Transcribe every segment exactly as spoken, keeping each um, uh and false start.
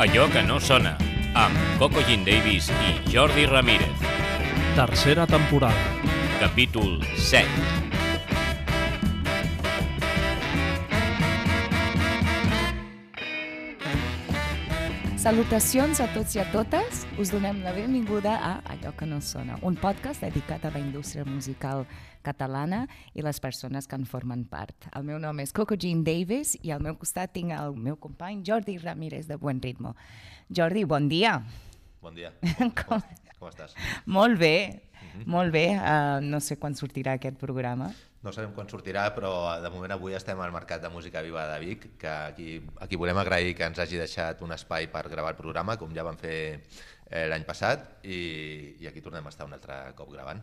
Allò que no sona, amb Coco Jean Davis i Jordi Ramírez. Tercera temporada. Capítol set. Salutacions a tots i a totes. Us donem la benvinguda a Allò que no sona, un podcast dedicat a la indústria musical catalana i les persones que en formen part. El meu nom és Coco Jean Davis i al meu costat tinc el meu company Jordi Ramírez de Buen Ritmo. Jordi, bon dia. Bon dia. Com, com... com estàs? Molt bé, uh-huh. molt bé. Uh, no sé quan sortirà aquest programa. No sabem quan sortirà, però de moment avui estem al Mercat de Música Viva de Vic, que aquí, aquí volem agrair que ens hagi deixat un espai per gravar el programa, com ja vam fer eh, l'any passat, i, i aquí tornem a estar un altre cop gravant.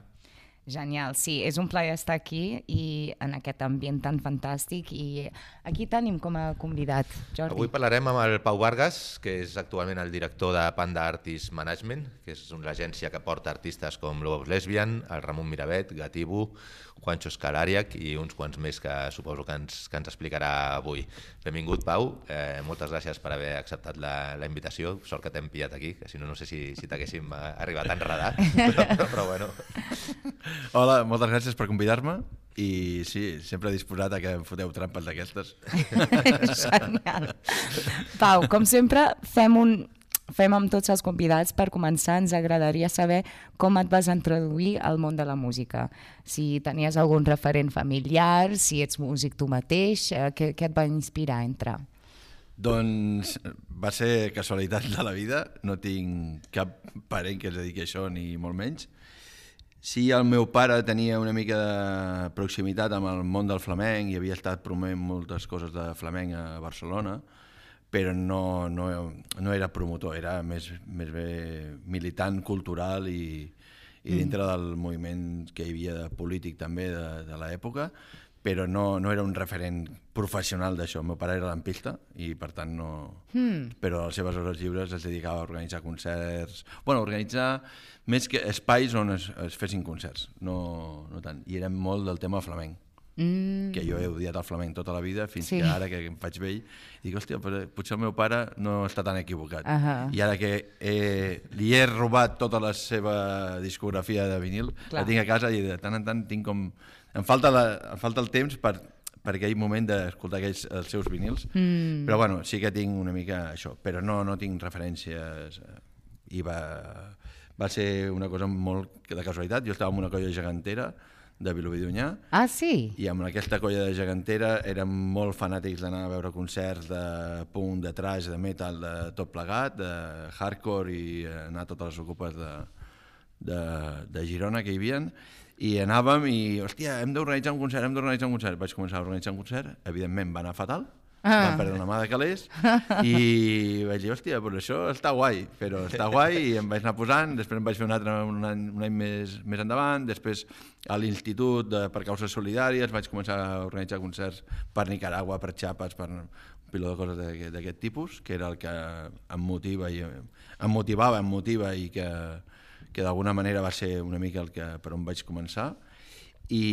Genial, sí, és un plaer estar aquí i en aquest ambient tan fantàstic, i aquí tenim com a convidat, Jordi. Avui parlarem amb el Pau Vargas, que és actualment el director de Panda Artist Management, que és una agència que porta artistes com Lobos Lesbian, el Ramon Miravet, Gatibu, Juancho Escalariac i uns quants més que suposo que ens, que ens explicarà avui. Benvingut, Pau. Eh, moltes gràcies per haver acceptat la, la invitació. Sort que t'hem pillat aquí, que si no, no sé si, si t'haguéssim arribat a enredar, però, però, però bueno. Hola, moltes gràcies per convidar-me i sí, sempre disposat a que em foteu trampes d'aquestes. Genial. Pau, com sempre, fem un... Fem amb tots els convidats. Per començar, ens agradaria saber com et vas introduir al món de la música. Si tenies algun referent familiar, si ets músic tu mateix, eh, què, què et va inspirar a entrar? Doncs va ser casualitat de la vida, no tinc cap parent que es dediqui a això, ni molt menys. Sí, el meu pare tenia una mica de proximitat amb el món del flamenc i havia estat promovent moltes coses de flamenc a Barcelona, però no, no, no era promotor, era més, més bé militant cultural i, i dintre mm. del moviment que hi havia de polític també de, de l'època, però no, no era un referent professional d'això. El meu pare era lampista i per tant no... Mm. Però a les seves hores lliures es dedicava a organitzar concerts, bueno, organitzar més que espais on es, es fessin concerts, no, no tant. I era molt del tema flamenc. Mm. Que jo he odiat el flamenc tota la vida fins sí. que ara que em faig vell dic, hòstia, potser el meu pare no està tan equivocat. Uh-huh. I ara que he, li he robat tota la seva discografia de vinil, clar, la tinc a casa i de tant en tant tinc com... Em falta, la, em falta el temps per, per aquell moment d'escoltar aquells, els seus vinils, mm. però bueno, sí que tinc una mica això, però no, no tinc referències i va, va ser una cosa molt de casualitat. Jo estava en una colla gegantera de Vilobí d'Onyar. Ah, sí? I amb aquesta colla de gegantera érem molt fanàtics d'anar a veure concerts de punk, de thrash, de metal, de tot plegat, de hardcore i anar a totes les ocupes de, de, de Girona que hi havia. I anàvem i, hòstia, hem d'organitzar un concert, hem d'organitzar un concert. Vaig començar a organitzar un concert, evidentment va anar fatal, ah. vam perdre una mà de calés i vaig dir, hòstia, però això està guai, però està guai, i em vaig anar posant, després em vaig fer un altre un any, un any més, més endavant, després a l'Institut de, per Causes Solidàries vaig començar a organitzar concerts per Nicaragua, per Chiapas, per un piló de coses d'aquest tipus, que era el que em motiva i em motivava, em motiva i que, que d'alguna manera va ser una mica el que, per on vaig començar. I,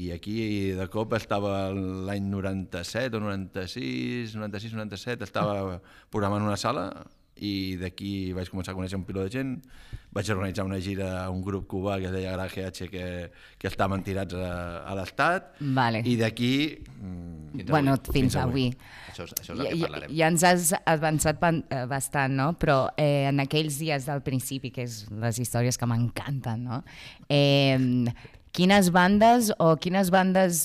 i aquí de cop estava l'any noranta-set o noranta-sis, noranta-sis noranta-set, estava programant una sala i d'aquí vaig començar a conèixer un piló de gent, vaig organitzar una gira a un grup cubà que es deia Garage H que, que estaven tirats a, a l'estat, vale. I d'aquí fins bueno, avui. Fins, fins avui. avui. Això és, això és el que parlarem. Ja ens has avançat bastant, no? Però eh, en aquells dies del principi, que és les històries que m'encanten, no? Eh, quines bandes o quines bandes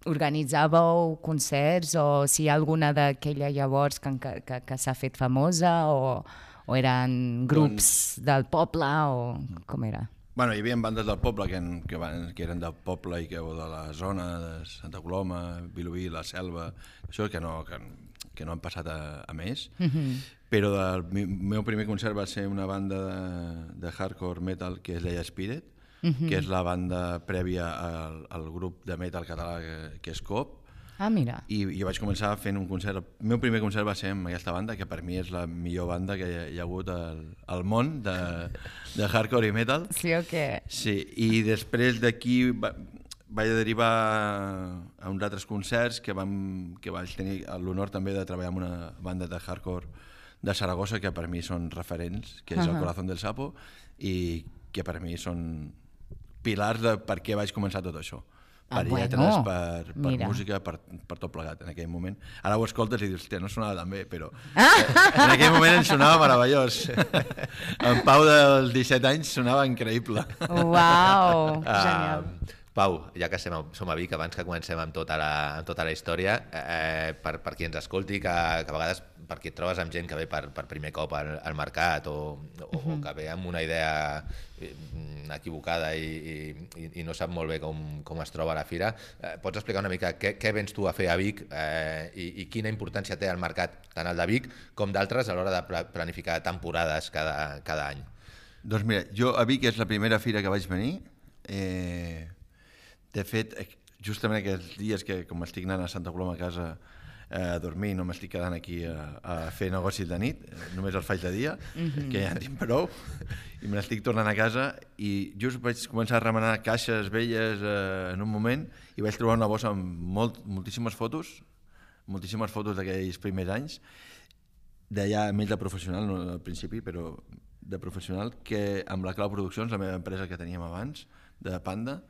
organitzàveu concerts, o si hi ha alguna d'aquella llavors que, que, que s'ha fet famosa, o, o eren grups doncs, del poble, o com era? Bueno, hi havia bandes del poble que, que, van, que eren del poble i que de la zona de Santa Coloma, Vilobí, la Selva, això que no, que, que no han passat a, a més, mm-hmm. però el meu primer concert va ser una banda de, de hardcore metal que es deia Spirit, Uh-huh. que és la banda prèvia al, al grup de metal català que, que és Coop. Ah, mira. I jo vaig començar fent un concert. El meu primer concert va ser amb aquesta banda, que per mi és la millor banda que hi ha, hi ha hagut al, al món de, de hardcore i metal. Sí o què? Sí, i després d'aquí va, vaig derivar a uns altres concerts que, vam, que vaig tenir l'honor també de treballar amb una banda de hardcore de Saragossa que per mi són referents, que és uh-huh. el Corazón del Sapo, i que per mi són pilars de per què vaig començar tot això. Per ah, lletres, bueno, per, per música, per, per tot plegat en aquell moment. Ara ho escoltes i dius, hòstia, no sonava tan bé, però ah! en aquell moment em sonava meravellós. En Pau dels disset anys sonava increïble. Uau, genial. Uh, Pau, ja que som a, som a Vic, abans que comencem amb tota la, amb tota la història, eh, per, per qui ens escolti, que, que a vegades perquè et trobes amb gent que ve per, per primer cop al, al mercat o, o, uh-huh. o que ve amb una idea equivocada i, i, i no sap molt bé com, com es troba a la fira, eh, pots explicar una mica què, què vens tu a fer a Vic eh, i, i quina importància té el mercat, tant el de Vic com d'altres, a l'hora de pla, planificar temporades cada, cada any? Doncs mira, jo a Vic és la primera fira que vaig venir. Eh, de fet, justament aquests dies que com estic anant a Santa Coloma a casa a dormir, no m'estic quedant aquí a, a fer negocis de nit, només els faig de dia, mm-hmm. que ja en tinc prou, i me n'estic tornant a casa, i just vaig començar a remenar caixes velles eh, en un moment, i vaig trobar una bossa amb molt, moltíssimes fotos, moltíssimes fotos d'aquells primers anys, d'allà més de professional, no al principi, però de professional, que amb la Clau Produccions, la meva empresa que teníem abans, de Panda,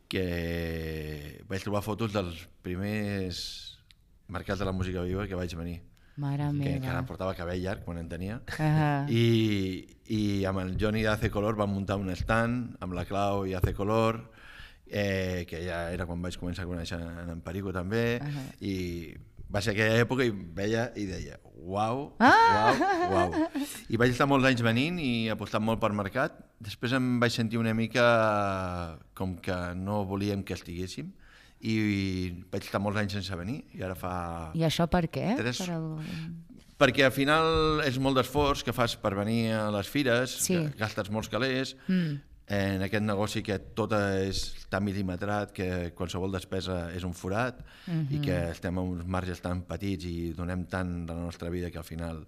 que vaig trobar fotos dels primers mercats de la música viva que vaig venir. Mare meva. Que encara portava cabell llarg quan en tenia. Uh-huh. I, I amb el Johnny d'Ace Color vam muntar un stand, amb la Clau i Ace Color, eh, que ja era quan vaig començar a conèixer en Perico també, uh-huh. i va ser aquella època i veia i deia uau, ah! uau, uau. I vaig estar molts anys venint i apostant molt per mercat. Després em vaig sentir una mica com que no volíem que estiguéssim i vaig estar molts anys sense venir i ara fa... I això per què? Tres... Per el... Perquè al final és molt d'esforç que fas per venir a les fires, sí. gastes molts calés, mm. en aquest negoci que tot és tan mil·limetrat que qualsevol despesa és un forat mm-hmm. i que estem a uns marges tan petits i donem tant de la nostra vida que al final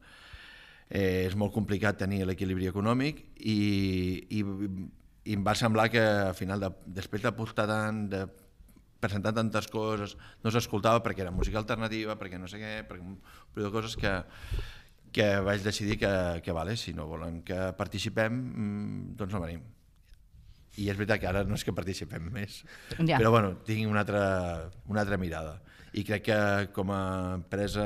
eh, és molt complicat tenir l'equilibri econòmic i, i, i em va semblar que al final, de, després d'apostar tant, de presentar tantes coses, no s'escoltava perquè era música alternativa, perquè no sé què, perquè un de coses que, que vaig decidir que, que vale, si no volen que participem, doncs no venim. I és veritat que ara no és que participem més, ja. Però bueno, tinc una altra, una altra mirada. I crec que com a empresa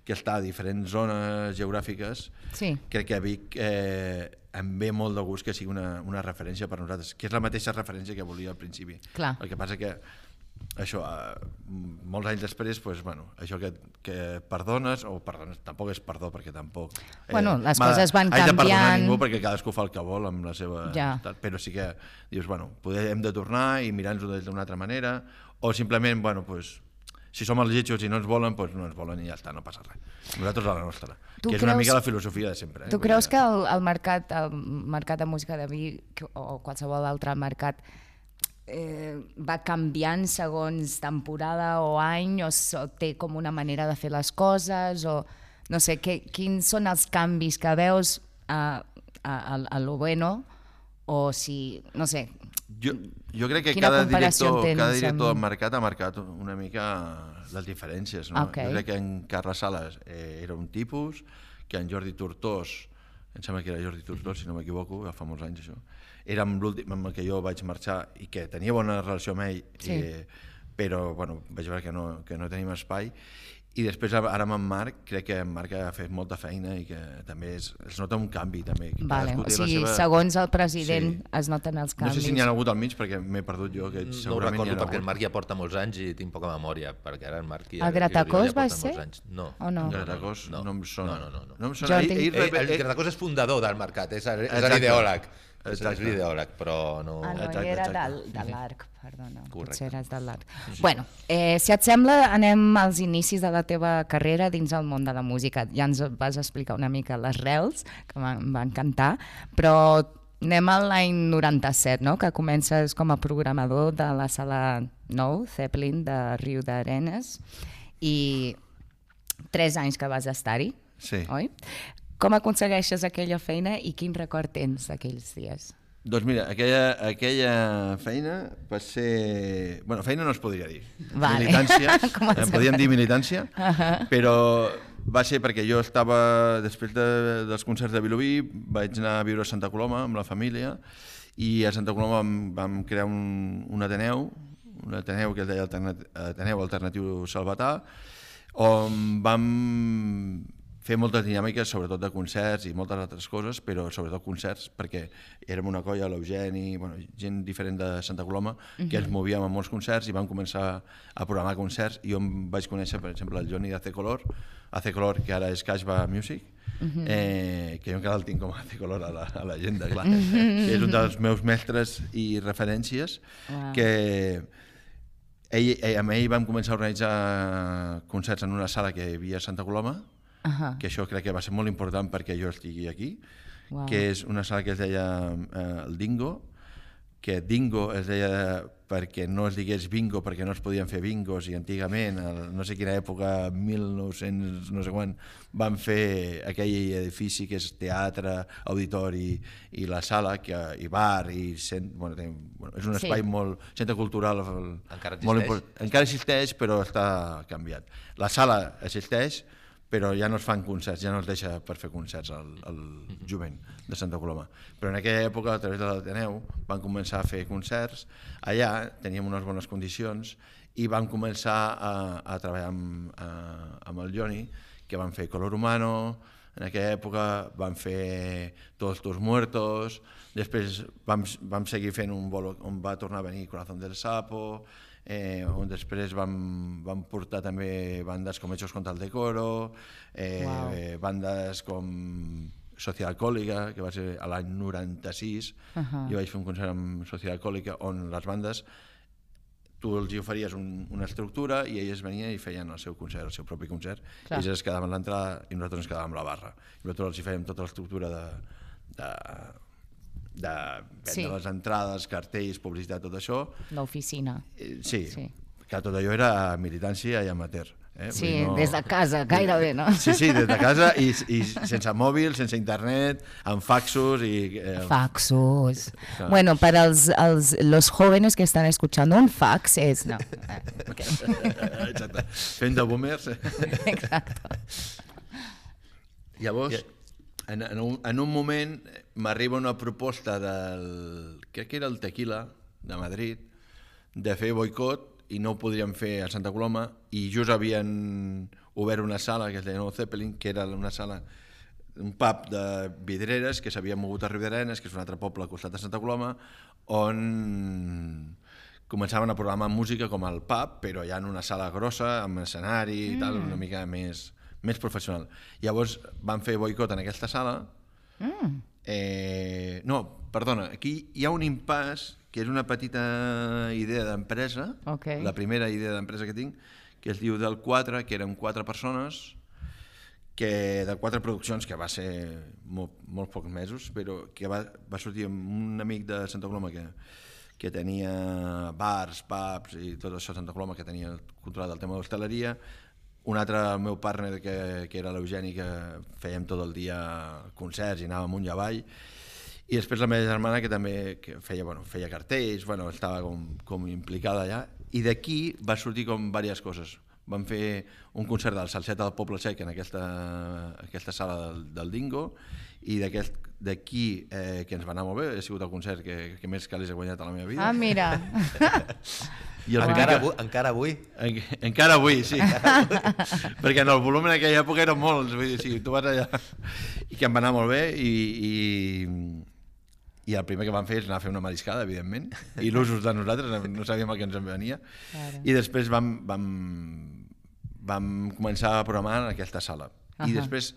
que està a diferents zones geogràfiques, sí. crec que a Vic eh, em ve molt de gust que sigui una, una referència per nosaltres, que és la mateixa referència que volia al principi. Clar. El que passa que això, eh, molts anys després, pues, bueno, això que, que perdones, o perdones, tampoc és perdó, perquè tampoc... Eh, bueno, les coses van canviant... Haig de perdonar ningú perquè cadascú fa el que vol amb la seva... Ja. Però sí que dius, bueno, poder, hem de tornar i mirar-nos-ho d'una altra manera, o simplement, bueno, pues, si som els lletjos i no ens volen, pues no ens volen i ja està, no passa res. Nosaltres a la nostra, tu que és creus, una mica la filosofia de sempre. Eh? Tu creus que el, el, mercat, el mercat de música de Vic o qualsevol altre mercat Eh, va canviant segons temporada o any o, o té com una manera de fer les coses o no sé, que, quins són els canvis que veus a, a, a, a lo bueno o si, no sé, jo, jo crec que cada director, cada director del mercat ha marcat una mica les diferències, no? Okay. Jo crec que en Carles Sales eh, era un tipus, que en Jordi Tortós, em sembla que era Jordi Tortós si no m'equivoco, ja fa molts anys això, era amb l'últim amb el que jo vaig marxar i que tenia bona relació amb ell, sí. eh, però bueno, vaig veure que no, que no tenim espai. I després ara amb en Marc, crec que en Marc ha fet molta feina i que també es, es nota un canvi. També. Vale. O sigui, seva... segons el president sí. es noten els canvis. No sé si n'hi ha hagut al mig perquè m'he perdut jo. Que no ho recordo perquè el Marc ja porta molts anys i tinc poca memòria, perquè ara el Marc ja, el Gratacós ja va ser? No. O no? El Gratacós no, no em sona. No, no, no. no em sona. Jordi... Ell, ell, el Gratacós és fundador del mercat, és, és l'ideòleg. És l'ideòleg, però no... Ah, no, exacte, era exacte. de, de l'Arc, perdona, correcte. Potser eres de l'Arc. Sí. Bueno, eh, si et sembla, anem als inicis de la teva carrera dins el món de la música. Ja ens vas explicar una mica les rels, que em va encantar, però anem a l'any noranta-set, no? Que comences com a programador de la sala nou, Zeppelin, de Riu d'Arenes, i tres anys que vas estar-hi, sí. Oi? Com aconsegueixes aquella feina i quin record tens d'aquells dies? Doncs mira, aquella, aquella feina va ser... Bueno, feina no es podria dir. Vale. Militància, podríem dir militància, uh-huh. però va ser perquè jo estava, després de, dels concerts de Vilobí, vaig anar a viure a Santa Coloma amb la família i a Santa Coloma vam, vam crear un, un Ateneu, un Ateneu que es deia Alternat, Ateneu Alternatiu Salvatà, on vam fer moltes dinàmiques, sobretot de concerts i moltes altres coses, però sobretot concerts, perquè érem una colla, l'Eugeni, bueno, gent diferent de Santa Coloma, que uh-huh. ens movíem a molts concerts i vam començar a programar concerts i on vaig conèixer, per exemple, el Johnny d'Ace Color, Ace Color, que ara és Cashba Music, uh-huh. eh, que jo encara el tinc com a Ace Color a l'agenda, clar, uh-huh. que és un dels meus mestres i referències, wow. que ell, ell, amb ell vam començar a organitzar concerts en una sala que hi havia a Santa Coloma, Uh-huh. que això crec que va ser molt important perquè jo estigui aquí, wow. que és una sala que es deia eh, el Dingo, que Dingo es deia perquè no es digués bingo, perquè no es podien fer bingos, i antigament, a no sé quina època, mil nou-cents no sé quan, van fer aquell edifici que és teatre, auditori i la sala, que, i bar, i cent, bueno, ten, bueno, és un espai sí. molt, centre cultural encara molt existeix? important. Encara existeix, però està canviat. La sala existeix, però ja no es fan concerts, ja no es deixa per fer concerts al, al jovent de Santa Coloma. Però en aquella època, a través de l'Ateneu, van començar a fer concerts. Allà teníem unes bones condicions i vam començar a, a treballar amb, a, amb el Johnny, que van fer Color Humano, en aquella època van fer Todos tus muertos, després vam, vam seguir fent un bolo on va tornar a venir Corazón del Sapo, Eh, on després vam, vam portar també bandes com Hechos contra el Decoro, eh, wow. eh, bandes com Sociedad Alcohólica, que va ser a l'any noranta-sis, uh-huh. jo vaig fer un concert amb Sociedad Alcohólica on les bandes, tu els oferies un, una estructura i elles venien i feien el seu concert, el seu propi concert, Clar. ells es quedaven a l'entrada i nosaltres ens quedàvem a la barra. I nosaltres els hi fèiem tota l'estructura de... de de vendre sí. les entrades, cartells, publicitat, tot això. L'oficina. Eh, sí, sí, que tot allò era militància i amateur. Eh? Sí, no... des de casa, gairebé, no? Sí, sí, des de casa i, i sense mòbil, sense internet, amb faxos i... Eh... Faxos. Claro. Bueno, para els, els, los jóvenes que están escuchando, un fax es... No. Okay. Exacte. Fent de boomers. Exacte. Llavors... En, en, un, en un moment m'arriba una proposta del, crec que era el Tequila, de Madrid, de fer boicot i no ho podríem fer a Santa Coloma i just havien obert una sala que es deia Nou Zeppelin, que era una sala, un pub de vidreres que s'havia mogut a Riudarenes, que és un altre poble al costat de Santa Coloma, on començaven a programar música com el pub, però ja en una sala grossa, amb escenari i mm. tal, una mica més... més professional. Llavors van fer boicot en aquesta sala. Mm. Eh, no, perdona, aquí hi ha un impàs, que és una petita idea d'empresa, okay. la primera idea d'empresa que tinc, que es diu del quatre, que eren quatre persones, que de quatre produccions, que va ser molt, molt pocs mesos, però que va, va sortir amb un amic de Santa Coloma que, que tenia bars, pubs i tot això a Santa Coloma, que tenia controlat el tema de l'hostaleria. Un altre, el meu partner, que, que era l'Eugeni, que fèiem tot el dia concerts i anàvem amunt i avall. I després la meva germana, que també que feia, bueno, feia cartells, bueno, estava com, com implicada allà. I d'aquí va sortir com diverses coses. Vam fer un concert del Salseta del Poble Sec en aquesta, aquesta sala del, del Dingo, i d'aquí, eh, que ens va anar molt bé, ha sigut el concert que, que més calés he guanyat a la meva vida. Ah, mira! I el encara, avui, encara avui? En, encara avui, sí. Perquè en el volum en aquella època eren molts, vull dir, sí, tu vas allà. I que em va anar molt bé, i, i, i el primer que vam fer és anar a fer una mariscada, evidentment, il·lusos de nosaltres, no sabíem el que ens en venia. Claro. I després vam, vam, vam començar a programar en aquesta sala. Uh-huh. I després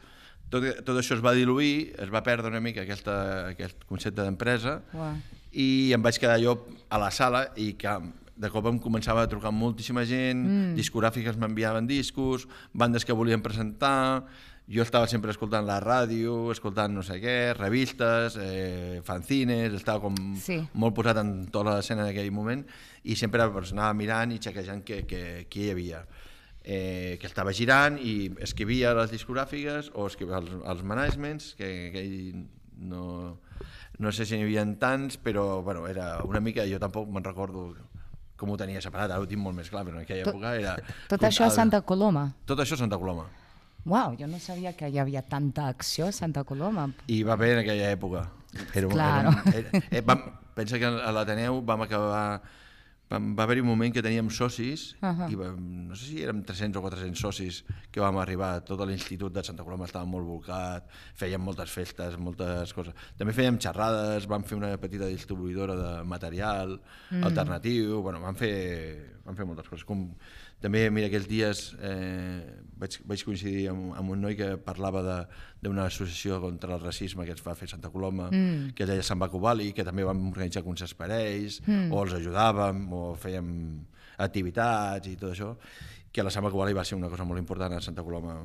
tot, tot això es va diluir, es va perdre una mica aquesta, aquest concepte d'empresa, wow. i em vaig quedar jo a la sala i que de cop em començava a trucar moltíssima gent, mm. discogràfiques m'enviaven discos, bandes que volien presentar, jo estava sempre escoltant la ràdio, escoltant no sé què, revistes, eh, fanzines, estava com sí. molt posat en tota l'escena en aquell moment i sempre pues, anava mirant i xequejant què hi havia. Eh, que estava girant i escrivia les discogràfiques o escrivia els, els managements, que, que ell no, no sé si n'hi havia tants, però bueno, era una mica, jo tampoc me'n recordo com ho tenia separat, ara ho tinc molt més clar, però en aquella època era... Tot, tot això a Santa Coloma? Tot això a Santa Coloma. Uau, jo no sabia que hi havia tanta acció a Santa Coloma. I va bé en aquella època. Era, Claro. Era, era, era, vam, pensa que a l'Ateneu vam acabar... Vam, va haver-hi un moment que teníem socis, uh -huh. i vam, no sé si érem tres-cents o quatre-cents socis que vam arribar, tot l'Institut de Santa Coloma estava molt volcat, fèiem moltes festes, moltes coses. També fèiem xerrades, vam fer una petita distribuïdora de material mm. alternatiu, bueno, vam fer, vam fer moltes coses. Com, també, mira, aquells dies eh, vaig, vaig coincidir amb, amb un noi que parlava d'una associació contra el racisme que es va fer a Santa Coloma, mm. que es deia Sant Bacubali, que també vam organitzar concerts per ells, mm. o els ajudàvem, o fèiem activitats i tot això, que la Sant Bacubali va ser una cosa molt important a Santa Coloma.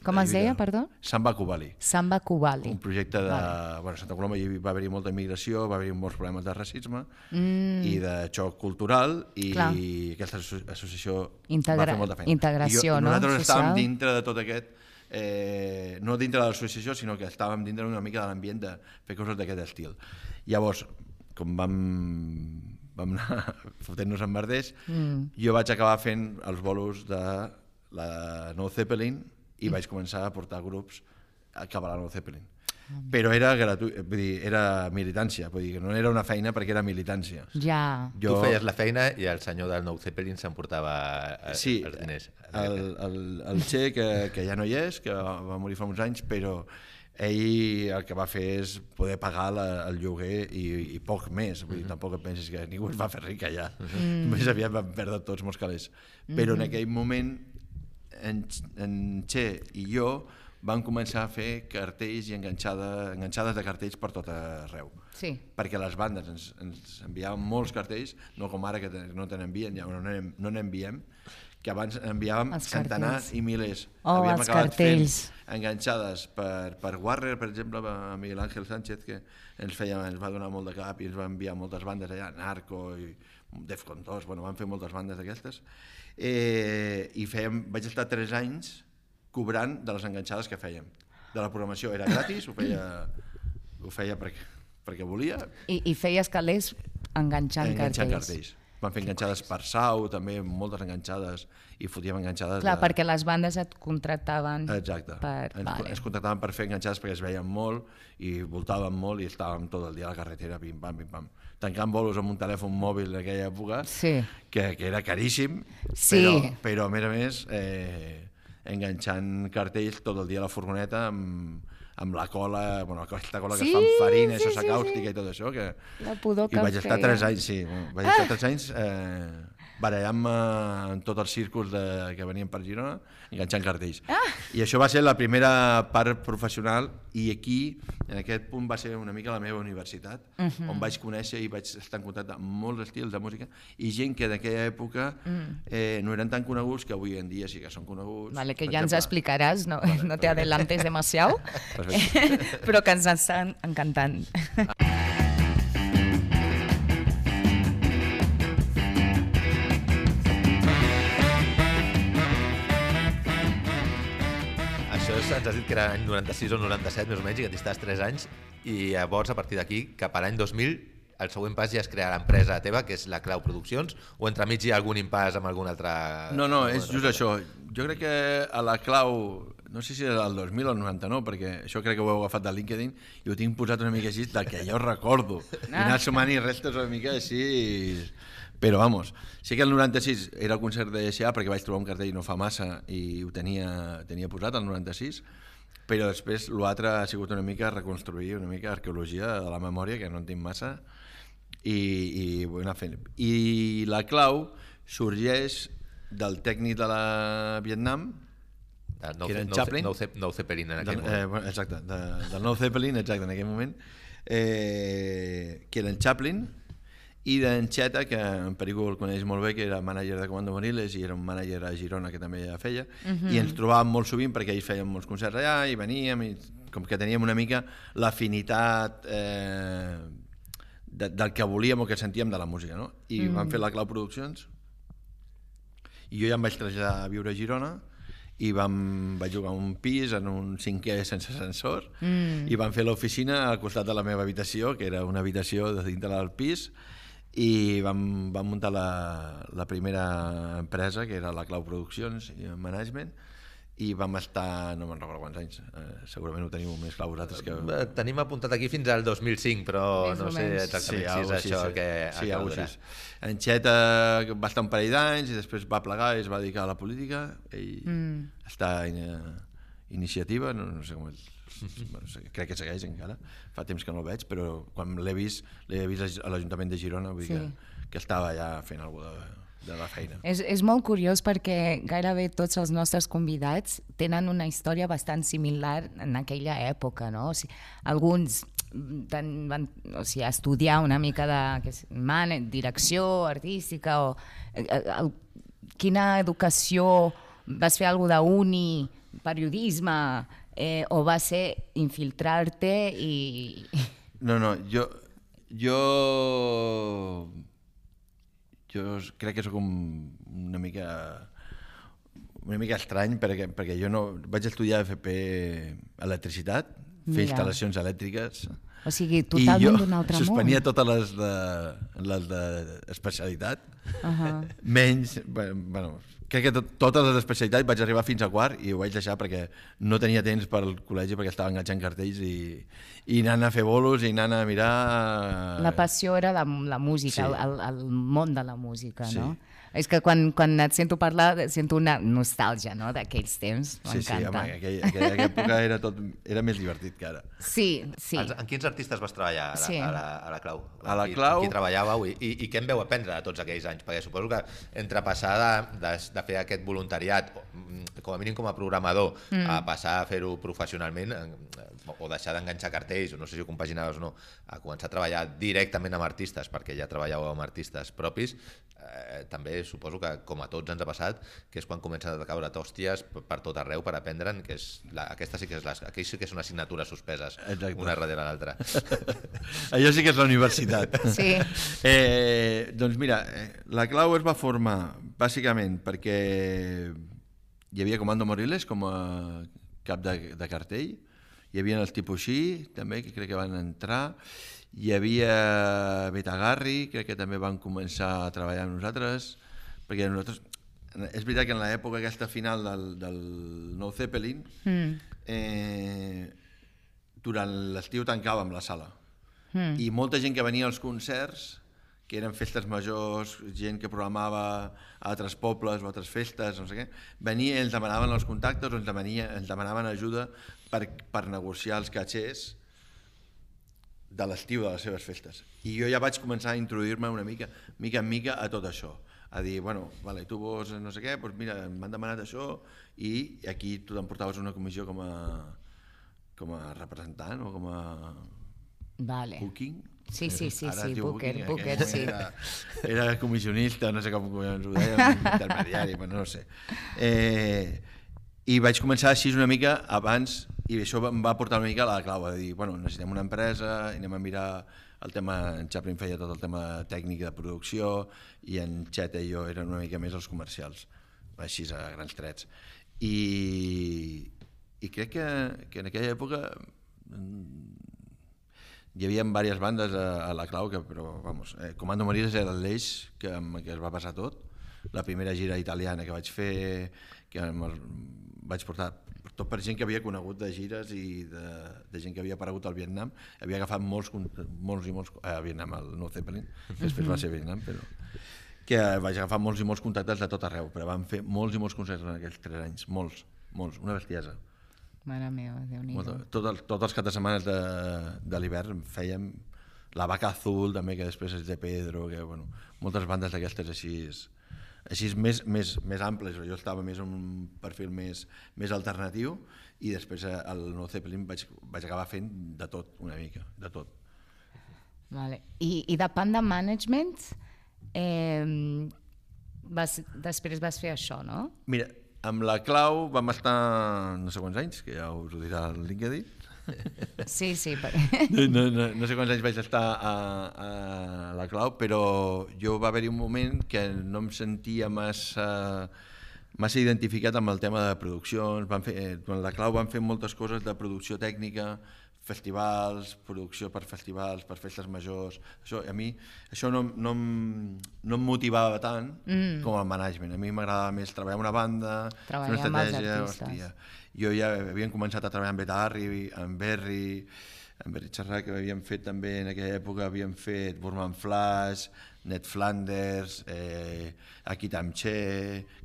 Com es deia, perdó? Sant Bacubali. Sant Bacubali. Un projecte de... Vale. Bueno, a Santa Coloma hi va haver-hi molta immigració, va haver-hi molts problemes de racisme mm. i de xoc cultural, i Clar. aquesta associació Integra... va fer molta feina. Integració, I jo, no? Nosaltres Social. estàvem dintre de tot aquest... Eh, no dintre de l'associació, sinó que estàvem dintre una mica de l'ambient de fer coses d'aquest estil. Llavors, com vam... vam anar fotent-nos en merders, mm. jo vaig acabar fent els bolos de la Nou Zeppelin i mm. vaig començar a portar grups cap a la Nou Zeppelin. Mm. Però era gratuït, vull dir, era militància, vull dir que no era una feina perquè era militància. Ja. Jo... Tu feies la feina i el senyor del Nou Zeppelin s'emportava sí, els diners. El, el, el Che, que, que ja no hi és, que va morir fa uns anys, però ell el que va fer és poder pagar la, el lloguer i, i poc més. Vull dir, tampoc et pensis que ningú es va fer ric allà. Mm. Més aviat van perdre tots molts calés. Però en aquell moment en, en Che i jo vam començar a fer cartells i enganxada, enganxades de cartells per tot arreu. Sí. Perquè les bandes ens, ens enviaven molts cartells, no com ara que no te n'envien, ja no n'enviem, que abans enviàvem centenars i milers. Oh, Havíem els acabat cartells. fent enganxades per, per Warner, per exemple, a Miguel Ángel Sánchez, que ens, feia, ens va donar molt de cap i ens va enviar moltes bandes allà, Narco i Defcon dos, bueno, van fer moltes bandes d'aquestes. Eh, I fèiem, vaig estar tres anys cobrant de les enganxades que fèiem. De la programació era gratis, ho feia, ho feia perquè, perquè volia. I, I feies calés enganxant, enganxant cartells. cartells. Van fer enganxades per Sau, també, moltes enganxades, i fotíem enganxades... Clar, de... perquè les bandes et contractaven. Exacte. Per... Ens, vale. ens contractaven per fer enganxades perquè es veien molt i voltàvem molt i estàvem tot el dia a la carretera, pim-pam, pim-pam. Tancant bolos amb un telèfon mòbil d'aquella època, sí. que, que era caríssim, sí. però, però a més a més eh, enganxant cartells tot el dia a la furgoneta amb, amb la cola, bueno, aquesta cola sí, que es fa amb farina, sí, sosa sí, càustica sí. i tot això. Que... La pudor que I vaig estar feia. tres anys, sí, vaig estar tres anys eh, barallant-me en tots els círculs de, que venien per Girona, enganxant cartells. Ah. I això va ser la primera part professional, i aquí, en aquest punt, va ser una mica la meva universitat, uh -huh. on vaig conèixer i vaig estar en contacte amb molts estils de música i gent que d'aquella època eh, no eren tan coneguts, que avui en dia sí que són coneguts. Vale, que Per ja ens exemple, explicaràs, no, vale, no te adelantes demasiado, Perfecte. però que ens estan encantant. Això és, ens has dit que era l'any noranta-sis o noranta-set, més o menys, i que t'hi estàs tres anys, i llavors, a partir d'aquí, cap a l'any dos mil, el següent pas ja és crear l'empresa teva, que és la Clau Produccions, o entremig hi ha algun impàs amb algun altre... No, no, és just això. Jo crec que a la Clau, no sé si era el dos mil o el noranta-nou, perquè això crec que ho heu agafat de LinkedIn, i ho tinc posat una mica així, del que jo recordo. I anar sumant i restes una mica així... Però, vamos, sí que el noranta-sis era el concert de S A, perquè vaig trobar un cartell no fa massa i ho tenia, tenia posat, el noranta-sis, però després l'altre ha sigut una mica reconstruir, una mica arqueologia de la memòria, que no en tinc massa, i, i vull anar fent. I la Clau sorgeix del tècnic de la Vietnam, no, que era en no, Chaplin. Nou no Zeppelin en aquell del, moment. eh, bueno, exacte, de, del Nou Zeppelin, exacte, en aquell moment, eh, que era en Chaplin, i d'en Xeta, que en Perico el coneix molt bé, que era mànager de Comando Moriles i era un mànager a Girona que també ja feia, uh-huh. i ens trobàvem molt sovint perquè ells feien molts concerts allà i veníem, i com que teníem una mica l'afinitat eh, de, del que volíem o que sentíem de la música, no? I mm. vam fer la Clau Produccions i jo ja em vaig traslladar a viure a Girona i vam, vaig jugar un pis en un cinquè sense ascensor mm. i vam fer l'oficina al costat de la meva habitació, que era una habitació de dintre del pis, i vam, vam muntar la, la primera empresa, que era la Clau Produccions i Management, i vam estar, no me'n recordo quants anys, eh, segurament ho teniu més clar vosaltres que... Eh, Tenim apuntat aquí fins al dos mil cinc, però Més no o sé menys. exactament si és algo això sí. que Sí, que algo durarà. així. En Xeta va estar un parell d'anys i després va plegar i es va dedicar a la política. Ell mm. està en uh, iniciativa, no, no sé com és, bueno, crec que segueix encara, fa temps que no el veig, però quan l'he vist, l'he vist a l'Ajuntament de Girona, vull dir Sí. que, que estava ja fent alguna cosa de, de la feina. És, és molt curiós perquè gairebé tots els nostres convidats tenen una història bastant similar en aquella època, no? O sigui, alguns van, van o sigui, estudiar una mica de què sé, man, direcció artística o eh, el, quina educació, vas fer alguna d'uni, periodisme, eh, o va ser infiltrar-te i... No, no, jo... Jo... Jo crec que sóc un, una mica una mica estrany perquè, perquè jo no vaig estudiar F P electricitat, fer Mira. instal·lacions elèctriques O sigui, totalment d'un altre i jo món. suspenia totes les de, les de especialitat, Uh -huh. menys, bueno, crec que tot, totes les especialitats vaig arribar fins a quart i ho vaig deixar perquè no tenia temps per al col·legi perquè estava enganxant cartells i, i anant a fer bolos i anant a mirar... La passió era la, la música, Sí. el, el, el món de la música, Sí. no? És que quan, quan et sento parlar sento una nostàlgia, no?, d'aquells temps, Sí, sí, m'encanta. home, aquella, aquella, aquella època era, tot, era més divertit que ara. Sí, sí. En, en quins artistes vas treballar a la, Sí. a la, a la Clau? A la Qui- Clau- Qui treballàveu i, i, i què en veu aprendre de tots aquells anys? Perquè suposo que entre passar de, de, de fer aquest voluntariat, o, mm, com a mínim com a programador, mm. a passar a fer-ho professionalment, eh, o deixar d'enganxar cartells, o no sé si ho compaginaves o no, a començar a treballar directament amb artistes, perquè ja treballàveu amb artistes propis, eh, també suposo que, com a tots ens ha passat, que és quan comencen a caure tòsties per, per tot arreu per aprendre'n, que és la, aquesta sí que és les, aquells sí que són assignatures suspeses, Exacte. una darrere l'altra. Allò sí que és la universitat. Sí. Eh, doncs mira, eh, la Clau es va formar bàsicament perquè hi havia Comando Moriles com a cap de, de cartell, hi havia els Tipuxí també, que crec que van entrar, hi havia Betagarri, crec que també van començar a treballar amb nosaltres, perquè nosaltres, és veritat que en l'època aquesta final del, del Nou Zeppelin, mm. eh, durant l'estiu tancàvem la sala, mm. i molta gent que venia als concerts, que eren festes majors, gent que programava a altres pobles o altres festes, no sé què, venia i ens demanaven els contactes o ens, demania, ens demanaven ajuda per, per negociar els catxers de l'estiu de les seves festes. I jo ja vaig començar a introduir-me una mica, mica en mica a tot això, a dir, bueno, vale, tu vols no sé què, doncs mira, m'han demanat això i aquí tu t'emportaves una comissió com a, com a representant o com a Vale. booking. Sí, sí, sí, Ara sí, es diu Booker, booking, Booker, aquell sí. Era, era comissionista, no sé com ens ho dèiem, intermediari, però no sé. Eh, I vaig començar així una mica abans, i això em va portar una mica a la clau, a dir, bueno, necessitem una empresa, anem a mirar el tema, en Chaplin feia tot el tema tècnic de producció, i en Xeta i jo eren una mica més els comercials, així a grans trets. I, i crec que, que en aquella època hi havia diverses bandes a, a la Clau, que, però, vamos, eh, Comando Moriles era l'eix que, amb què es va passar tot. La primera gira italiana que vaig fer, que el, vaig portar tot per gent que havia conegut de gires i de, de gent que havia aparegut al Vietnam. Havia agafat molts, molts i molts... Eh, al Vietnam, al Nou Zeppelin, que després va ser Vietnam, però... que vaig agafar molts i molts contactes de tot arreu, però vam fer molts i molts concerts en aquells tres anys, molts, molts, una bestiesa. Mare meva, Déu-n'hi-do. Tots tot els caps de setmana de, de l'hivern fèiem la Vaca Azul, també, que després és de Pedro, que, bueno, moltes bandes d'aquestes així, així més, més, més amples. Jo estava més en un perfil més, més alternatiu i després al Nou Zeppelin vaig, vaig acabar fent de tot, una mica, de tot. Vale. I, i de Panda Management, eh, vas, després vas fer això, no? Mira, amb la Clau vam estar no sé quants anys, que ja us ho dirà el LinkedIn. Sí, sí. Per... No, no, no sé quants anys vaig estar a, a la Clau, però jo va haver-hi un moment que no em sentia massa, massa identificat amb el tema de produccions. Vam fer, durant la Clau vam fer moltes coses de producció tècnica, festivals, producció per festivals, per festes majors. Això, a mi això no, no, em, no em motivava tant mm. com el management. A mi m'agradava més treballar amb una banda, treballar fer una estratègia. Amb els artistes. Hòstia. Jo ja havíem començat a treballar amb Beta Harry, amb Berry, amb Berry Charrac, que havíem fet també en aquella època, havíem fet Burman Flash, Ned Flanders, eh, Akitamche,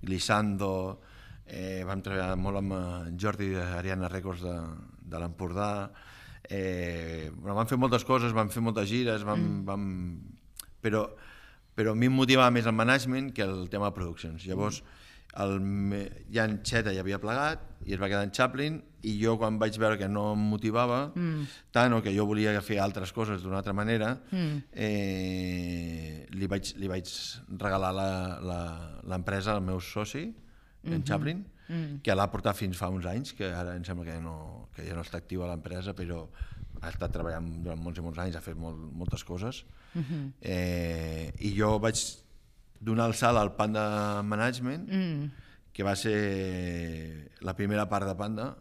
Glissando, eh, vam treballar molt amb Jordi d'Ariana Records de, de l'Empordà, eh, bueno, vam fer moltes coses, vam fer moltes gires, vam, mm. vam, però, però a mi em motivava més el management que el tema de produccions. Llavors, el, ja en Xeta ja havia plegat i es va quedar en Chaplin, i jo quan vaig veure que no em motivava mm. tant, o que jo volia fer altres coses d'una altra manera, mm. eh, li, vaig, li vaig regalar l'empresa al meu soci, en mm-hmm. Chaplin, mm. que l'ha portat fins fa uns anys, que ara em sembla que, no, que ja no està activa l'empresa, però ha estat treballant durant molts i molts anys, ha fet molt, moltes coses. Mm-hmm. eh, I jo vaig donar el salt al Panda Management, mm. que va ser la primera part de Panda,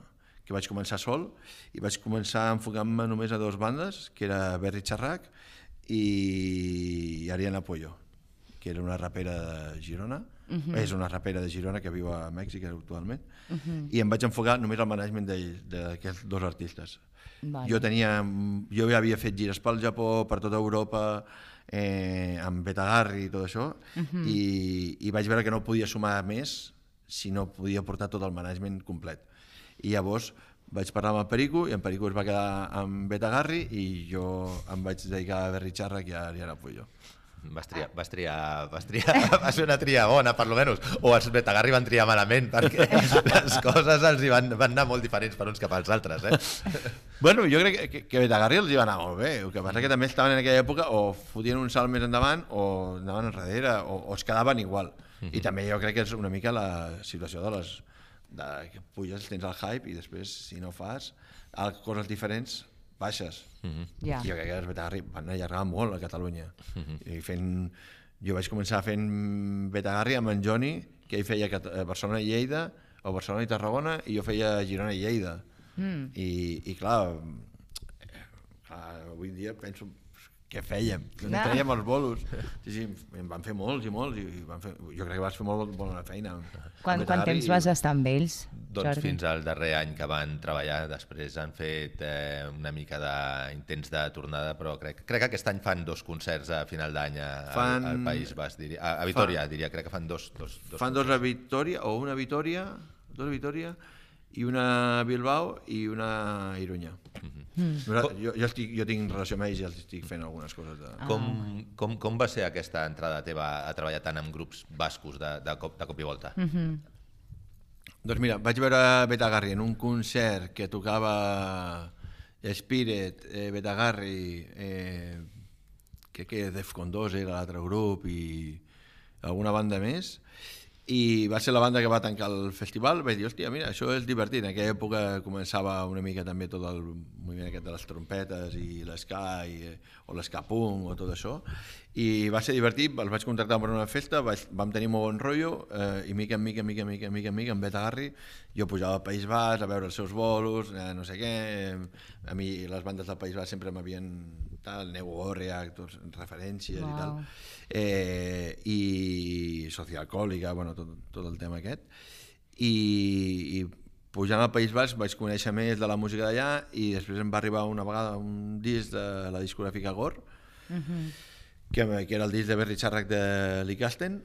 que vaig començar sol, i vaig començar enfocant-me només a dues bandes, que era Berry Charrac i Ariana Pollo, que era una rapera de Girona, uh-huh. és una rapera de Girona que viu a Mèxic actualment, uh-huh. i em vaig enfocar només al management d'aquests dos artistes. Vale. Jo tenia, jo ja havia fet gires pel Japó, per tota Europa, eh, amb Beta Harry i tot això, uh-huh. i, i vaig veure que no podia sumar més si no podia portar tot el management complet. I llavors vaig parlar amb el Perico, i en Perico es va quedar amb Beta Harry, i jo em vaig dedicar a Berry Charrac i a Ariana Pollo. Vas triar, vas triar, vas triar, va ser una tria bona, per lo menys, o els Beta Harry van triar malament, perquè les coses els hi van, van anar molt diferents per uns cap als altres, eh? Bueno, jo crec que, que Beta Harry els hi va anar molt bé, el que passa que també estaven en aquella època o fotien un salt més endavant o anaven enrere, o, o es quedaven igual. Uh-huh. I també jo crec que és una mica la situació de les... de que puges, tens el hype, i després, si no fas coses diferents, baixes. Uh-huh. Yeah. Jo crec que els Beta Harry van allargar molt a Catalunya. Uh-huh. I fent, jo vaig començar fent Beta Harry amb en Johnny, que ell feia Barcelona i Lleida, o Barcelona i Tarragona, i jo feia Girona i Lleida. Mm. I, i clar, clar, avui dia penso què fèiem, no. Traiem els bolos. Sí, sí, en van fer molts i molts, i van fer, jo crec que vas fer molt bona feina. Quan, quant temps vas estar amb ells, Doncs Jordi? Fins al darrer any que van treballar, després han fet eh, una mica d'intents de tornada, però crec, crec que aquest any fan dos concerts a final d'any fan... al País Basc, diria, a, a Vitoria, fan... diria, crec que fan dos, dos, dos Fan concerts. Dos a Vitoria, o una a Vitoria, dos a Vitoria, i una a Bilbao i una a Irunya. Mm-hmm. Mm. Jo, jo, estic, jo tinc relació amb ells i els estic fent algunes coses. De... Ah. Com, com, com va ser aquesta entrada teva a treballar tant amb grups bascos de, de, cop, de cop i volta? Mm-hmm. Doncs mira, vaig veure Beta Harry en un concert que tocava Spirit, eh, Beta Harry, eh, crec que Defcon dos era l'altre grup i alguna banda més, i va ser la banda que va tancar el festival. Vaig dir, hòstia, mira, això és divertit. En aquella època començava una mica també tot el moviment aquest de les trompetes i l'esca o l'esca punk o tot això, i va ser divertit. Els vaig contractar per una festa, vaig, vam tenir molt bon rotllo, eh, i mica en mica, mica, mica, mica, mica, amb Beta Harry, jo pujava al País Basc a veure els seus bolos, eh, no sé què, a mi les bandes del País Basc sempre m'havien tal, Neu Gorriak, referències wow. i tal, eh, i Socialcohòlica, bueno, tot, tot el tema aquest, i, i pujant al País Basc vaig conèixer més de la música d'allà, i després em va arribar una vegada un disc de la discogràfica Gore, uh-huh. que, que era el disc de Berry Charrac de Licasten.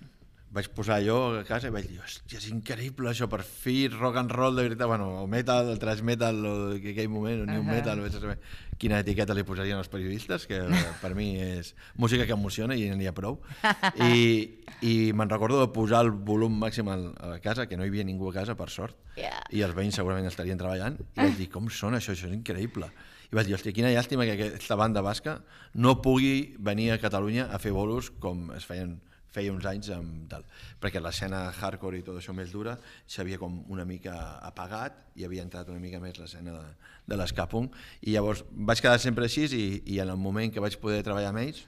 Vaig posar allò a casa i vaig dir, hòstia, és increïble això, per fi rock and roll de veritat, bueno, o metal, el thrash metal, o en aquell moment, o new uh-huh. metal, vaig saber quina etiqueta li posarien els periodistes, que per mi és música que emociona i n'hi ha prou. I, i me'n recordo de posar el volum màxim a la casa, que no hi havia ningú a casa, per sort, yeah. i els veïns segurament estarien treballant, i vaig dir, com sona això, això és increïble. I vaig dir, hòstia, quina llàstima que aquesta banda basca no pugui venir a Catalunya a fer bolos com es feien feia uns anys amb tal, perquè l'escena hardcore i tot això més dura s'havia com una mica apagat i havia entrat una mica més l'escena de, de l'esca punk, i llavors vaig quedar sempre així, i, i en el moment que vaig poder treballar amb ells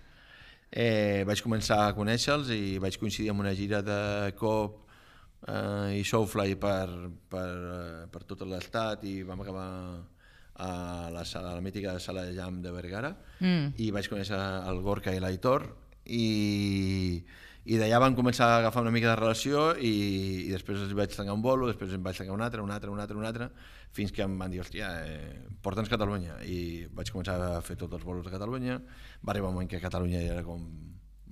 eh, vaig començar a conèixer-los i vaig coincidir amb una gira de Cop eh, i Soulfly per, per, per tot l'estat, i vam acabar a la, sala, a la mítica sala de jam de Vergara, Mm. i vaig conèixer el Gorka i l'Aitor, i, i d'allà van començar a agafar una mica de relació, i, i després els vaig tancar un bolo, després em vaig tancar un altre, un altre, un altre, un altre, fins que em van dir, hòstia, eh, porta'ns Catalunya, i vaig començar a fer tots els bolos de Catalunya. Va arribar un moment que Catalunya era com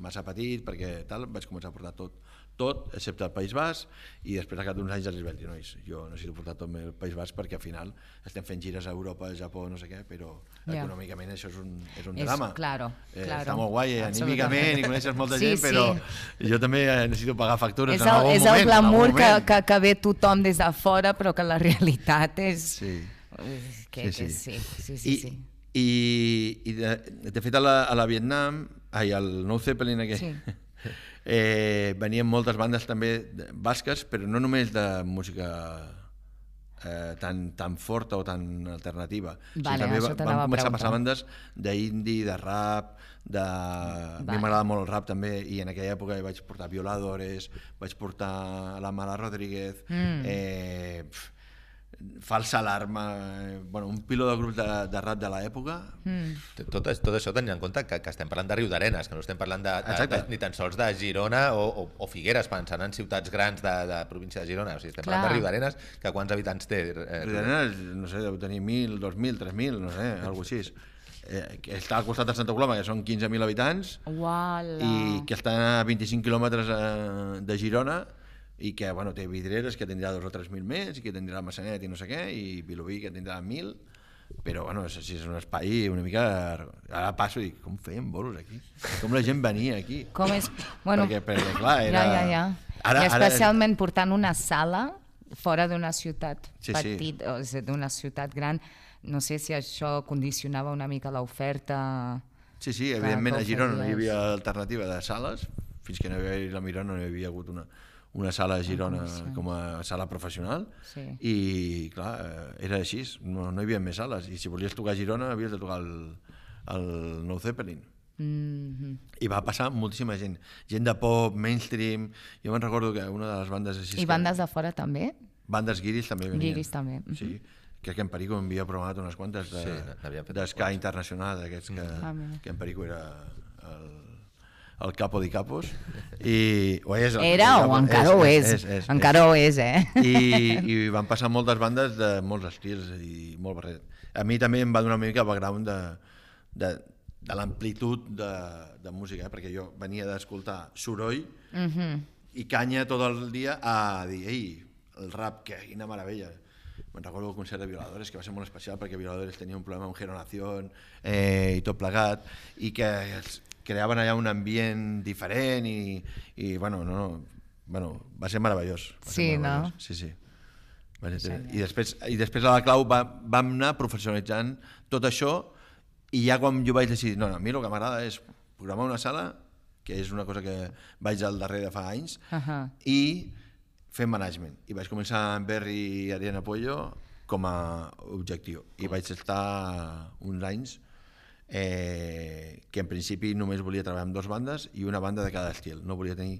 massa petit, perquè tal, vaig començar a portar tot, tot, excepte el País Basc, i després al cap d'uns anys els vaig dir, nois, jo necessito portar tot el País Basc perquè al final estem fent gires a Europa, a Japó, no sé què, però Ja. econòmicament això és un, és un És- drama. claro, eh, claro. Està molt guai, eh, Absolutament. anímicament, i coneixes molta Sí, gent, però sí. jo també eh, necessito pagar factures És en el, algun és moment. el en glamour algun que, moment. que, que ve tothom des de fora, però que la realitat és... Sí. Que, Sí, que sí. sí, sí, sí. I, sí. i, i de, de fet a la, a la Vietnam, ai, al Nou Zeppelin aquell, Sí. eh, venien moltes bandes també de- basques, però no només de música eh, tan, tan forta o tan alternativa. Vale, també això va- t'anava van a començar a passar preguntar. bandes d'indie, de rap, de... a mi Vale. m'agrada molt el rap també, i en aquella època vaig portar Violadores, vaig portar la Mala Rodríguez, Mm. eh, pf, Falsa Alarma, eh, bueno, un piló de grups de, de rap de l'època. Mm. Tot, tot això tenint en compte que, que estem parlant de Riudarenes, que no estem parlant de, de, Exacte. de, ni tan sols de Girona o, o, o Figueres, pensant en ciutats grans de, de província de Girona. O sigui, estem Clar. parlant de Riudarenes, que quants habitants té? Eh, Riudarenes, no sé, deu tenir mil, dos mil, tres mil, no sé, alguna cosa així. Eh, que està al costat de Santa Coloma, que són quinze mil habitants, Uala. i que està a vint-i-cinc quilòmetres eh, de Girona, i que bueno, té Vidreres, que tindrà dos o tres mil més, i que tindrà Massanet i no sé què, i Vilobí, que tindrà mil, però bueno, és, és un espai una mica... Ara passo i dic, com feien bolos aquí? Com la gent venia aquí? Com és... Bueno, perquè, perquè, clar, era... Ja, ja, ja. Ara, I especialment ara... portant una sala fora d'una ciutat Sí, sí. petita, o sigui, d'una ciutat gran, no sé si això condicionava una mica l'oferta... Sí, sí, Clar, evidentment que a Girona no hi oferies. havia alternativa de sales, fins que no hi havia la Mirona no hi havia hagut una, una sala a Girona condicions. com a sala professional, Sí. i clar, eh, era així, no, no hi havia més sales, i si volies tocar a Girona havies de tocar el, el Nou Zeppelin. Mm-hmm. I va passar moltíssima gent, gent de pop, mainstream, jo me'n recordo que una de les bandes així... I bandes de fora també? Bandes guiris també venien. Guiris també, mhm. Sí, crec que en Perico havia programat unes quantes de, Sí, n'havien fet d'esca internacional, d'aquests que, Ah, mira. que en Perico era el, el capo de capos. I, o és el Era capo o de encara ho és, encara ho és, eh? I, I van passar moltes bandes de molts estils i molt barret. A mi també em va donar una mica background de, de, de l'amplitud de, de música, eh? Perquè jo venia d'escoltar soroll Mhm. i canya tot el dia a dir, ei, el rap, que quina meravella. Me'n recordo el concert de Violadores, que va ser molt especial perquè Violadores tenia un problema amb Generación eh, i tot plegat, i que es creaven allà un ambient diferent i, i bueno, no, no, bueno, va ser meravellós. Va ser Sí, no? meravellós. Sí, sí. Va ser, I, després, I després a la clau va, vam anar professionalitzant tot això, i ja quan jo vaig decidir, no, no, a mi el que m'agrada és programar una sala, que és una cosa que vaig al darrere de fa anys, Ahà. i fer management. I vaig començar amb Berry i Ariana Puello com a objectiu. I vaig estar uns anys eh, que en principi només volia treballar amb dues bandes i una banda de cada estil. No volia tenir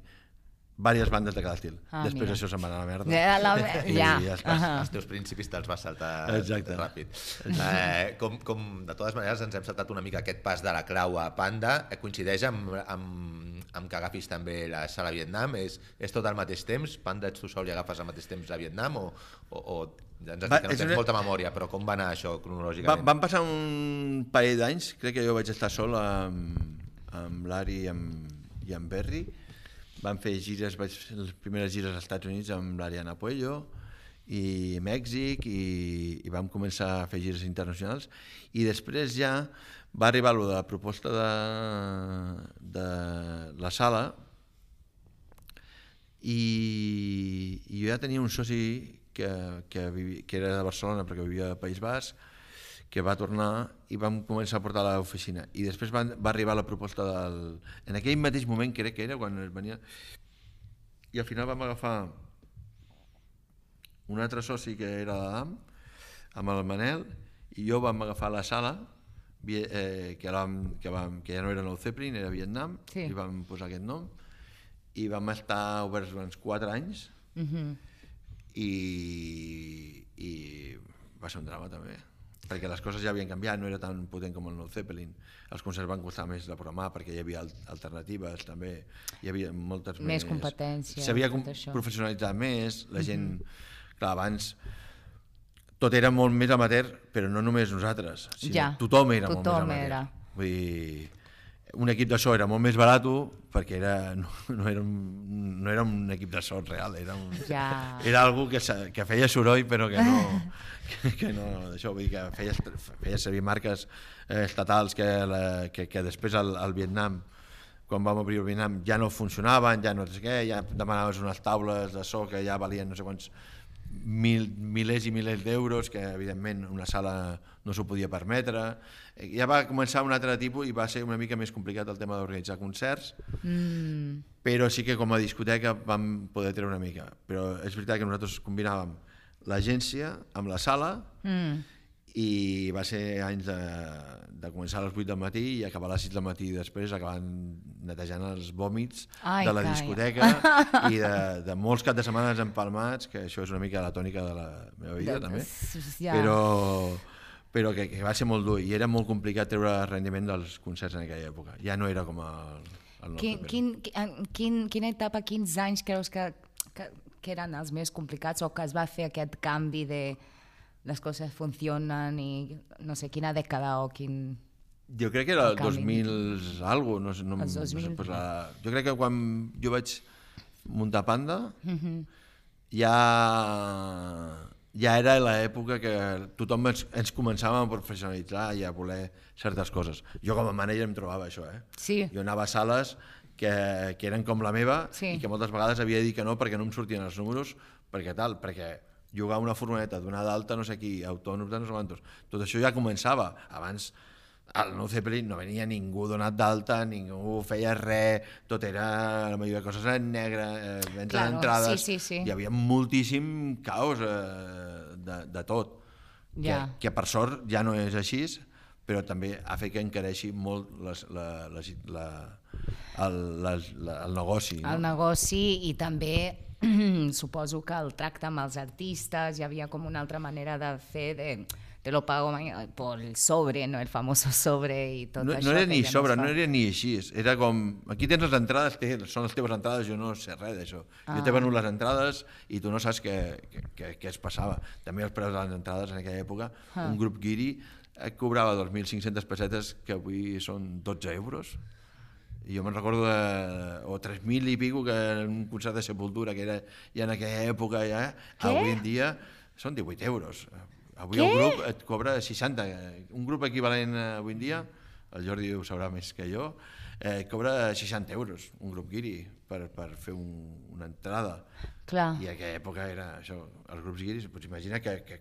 diverses bandes de cada estil. Ah, Després mira. això se'n va anar a la merda. Ja, la... I ja. ja està. Ahà. Els teus principis te'ls vas saltar Exacte. ràpid. Eh, com, com, de totes maneres, ens hem saltat una mica aquest pas de la clau a Panda. Eh, coincideix amb, amb, amb que agafis també la sala a Vietnam? És, és tot al mateix temps? Panda ets tu sol i agafes al mateix temps a Vietnam? O, o, o ja ens has Va, dit que no és tens una- molta memòria, però com va anar això Va, cronològicament? van passar un parell d'anys, crec que jo vaig estar sol amb, amb l'Ari i amb, i amb Berry. Vam fer gires, vaig fer les primeres gires als Estats Units amb l'Ariana Puello i Mèxic, i, i vam començar a fer gires internacionals, i després ja va arribar lo de la proposta de, de la sala, i, i jo ja tenia un soci que, que, vivi, que era de Barcelona perquè vivia al País Basc, que va tornar i vam començar a portar a l'oficina. I després va, va arribar la proposta del... En aquell mateix moment, crec que era, quan es venia... I al final vam agafar un altre soci que era l'Adam, amb el Manel, i jo vam agafar la sala, vi- eh, que, vam, que, vam, que ja no era Nou Zeppelin, era Vietnam, Sí. i vam posar aquest nom, i vam estar oberts durant quatre anys, Mhm. i, i va ser un drama també. perquè les coses ja havien canviat, no era tan potent com el Nou Zeppelin. Els concerts van costar més de programar perquè hi havia alternatives també, hi havia moltes més... Més competència. S'havia professionalitzat més, la gent... Mm-hmm. Clar, abans tot era molt més amateur, però no només nosaltres, sinó ja, tothom era tothom molt més amateur. Era. Vull dir, un equip de so era molt més barat perquè era, no, no, era un, no era un equip de so real, era, un, ja. era algú que, que feia soroll però que no, que, que no això, vull dir que feia, feia servir marques eh, estatals que, la, que, que després al, al Vietnam, quan vam obrir el Vietnam, ja no funcionaven, ja no sé què, ja demanaves unes taules de so que ja valien no sé quants mil, milers i milers d'euros, que evidentment una sala no s'ho podia permetre. Ja va començar un altre tipus i va ser una mica més complicat el tema d'organitzar concerts, mm. però sí que com a discoteca vam poder treure una mica. Però és veritat que nosaltres combinàvem l'agència amb la sala mm. i va ser anys de, de començar a les vuit del matí i acabar a les sis del matí i després acabant netejant els vòmits Ai, de la calla. discoteca i de, de molts caps de setmana empalmats, que això és una mica la tònica de la meva vida de, també, ja. però, però que, que va ser molt dur i era molt complicat treure el rendiment dels concerts en aquella època. Ja no era com el, el quin, quin, quin, quina etapa, quins anys creus que, que, que eren els més complicats o que es va fer aquest canvi de les coses funcionen i no sé, quina dècada o quin... Jo crec que era el dos mil algo, no sé, no, els dos mil. No sé, pues la, jo crec que quan jo vaig muntar Panda uh-huh. ja, ja era l'època que tothom ens, ens començàvem a professionalitzar i a voler certes coses. Jo com a manager em trobava això, eh? Sí. Jo anava a sales que, que eren com la meva sí. i que moltes vegades havia de dir que no perquè no em sortien els números, perquè tal, perquè jugar una furgoneta, donar d'alta no sé qui, autònoms de no sé quantos, tot això ja començava. Abans al Nou Zeppelin no venia ningú donat d'alta, ningú feia res, tot era, la majoria de coses en negre, eh, venda claro, d'entrades, sí, sí, sí. hi havia moltíssim caos eh, de, de tot, ja. que, que per sort ja no és així, però també ha fet que encareixi molt les, la, les, la, el, les, la, el negoci. No? El negoci i també suposo que el tracte amb els artistes, hi havia com una altra manera de fer, de, te lo pago por el sobre, no el famoso sobre i tot no, això. No era ni ja sobre, no, no era ni així, era com, aquí tens les entrades, té, són les teves entrades, jo no sé res d'això. Ah. Jo t'he venut les entrades i tu no saps què, què, què es passava. També els preus de les entrades en aquella època, ah. un grup guiri et cobrava dos mil cinc-centes pessetes, que avui són dotze euros. I jo me'n recordo de, o tres mil i pico, que en un concert de Sepultura, que era ja en aquella època, ja, avui en dia són divuit euros. Avui Què? El grup et cobra seixanta. Un grup equivalent avui en dia, el Jordi ho sabrà més que jo, eh, cobra seixanta euros, un grup guiri, per, per fer un, una entrada. Clar. I a aquella època era això, els grups guiris, pots imaginar que, que,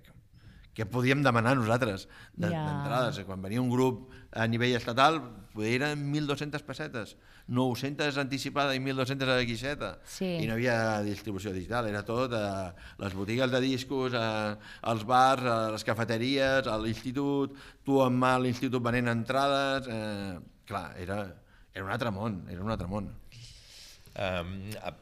que podíem demanar nosaltres d'entrades. Ja. Quan venia un grup a nivell estatal, eren mil dues-centes pessetes, nou-centes anticipada i mil dues-centes a la guixeta. Sí. I no hi havia distribució digital, era tot a les botigues de discos, a, als bars, a les cafeteries, a l'institut, tu amb mà a l'institut venent entrades... Eh, clar, era, era un altre món, era un altre món. Um,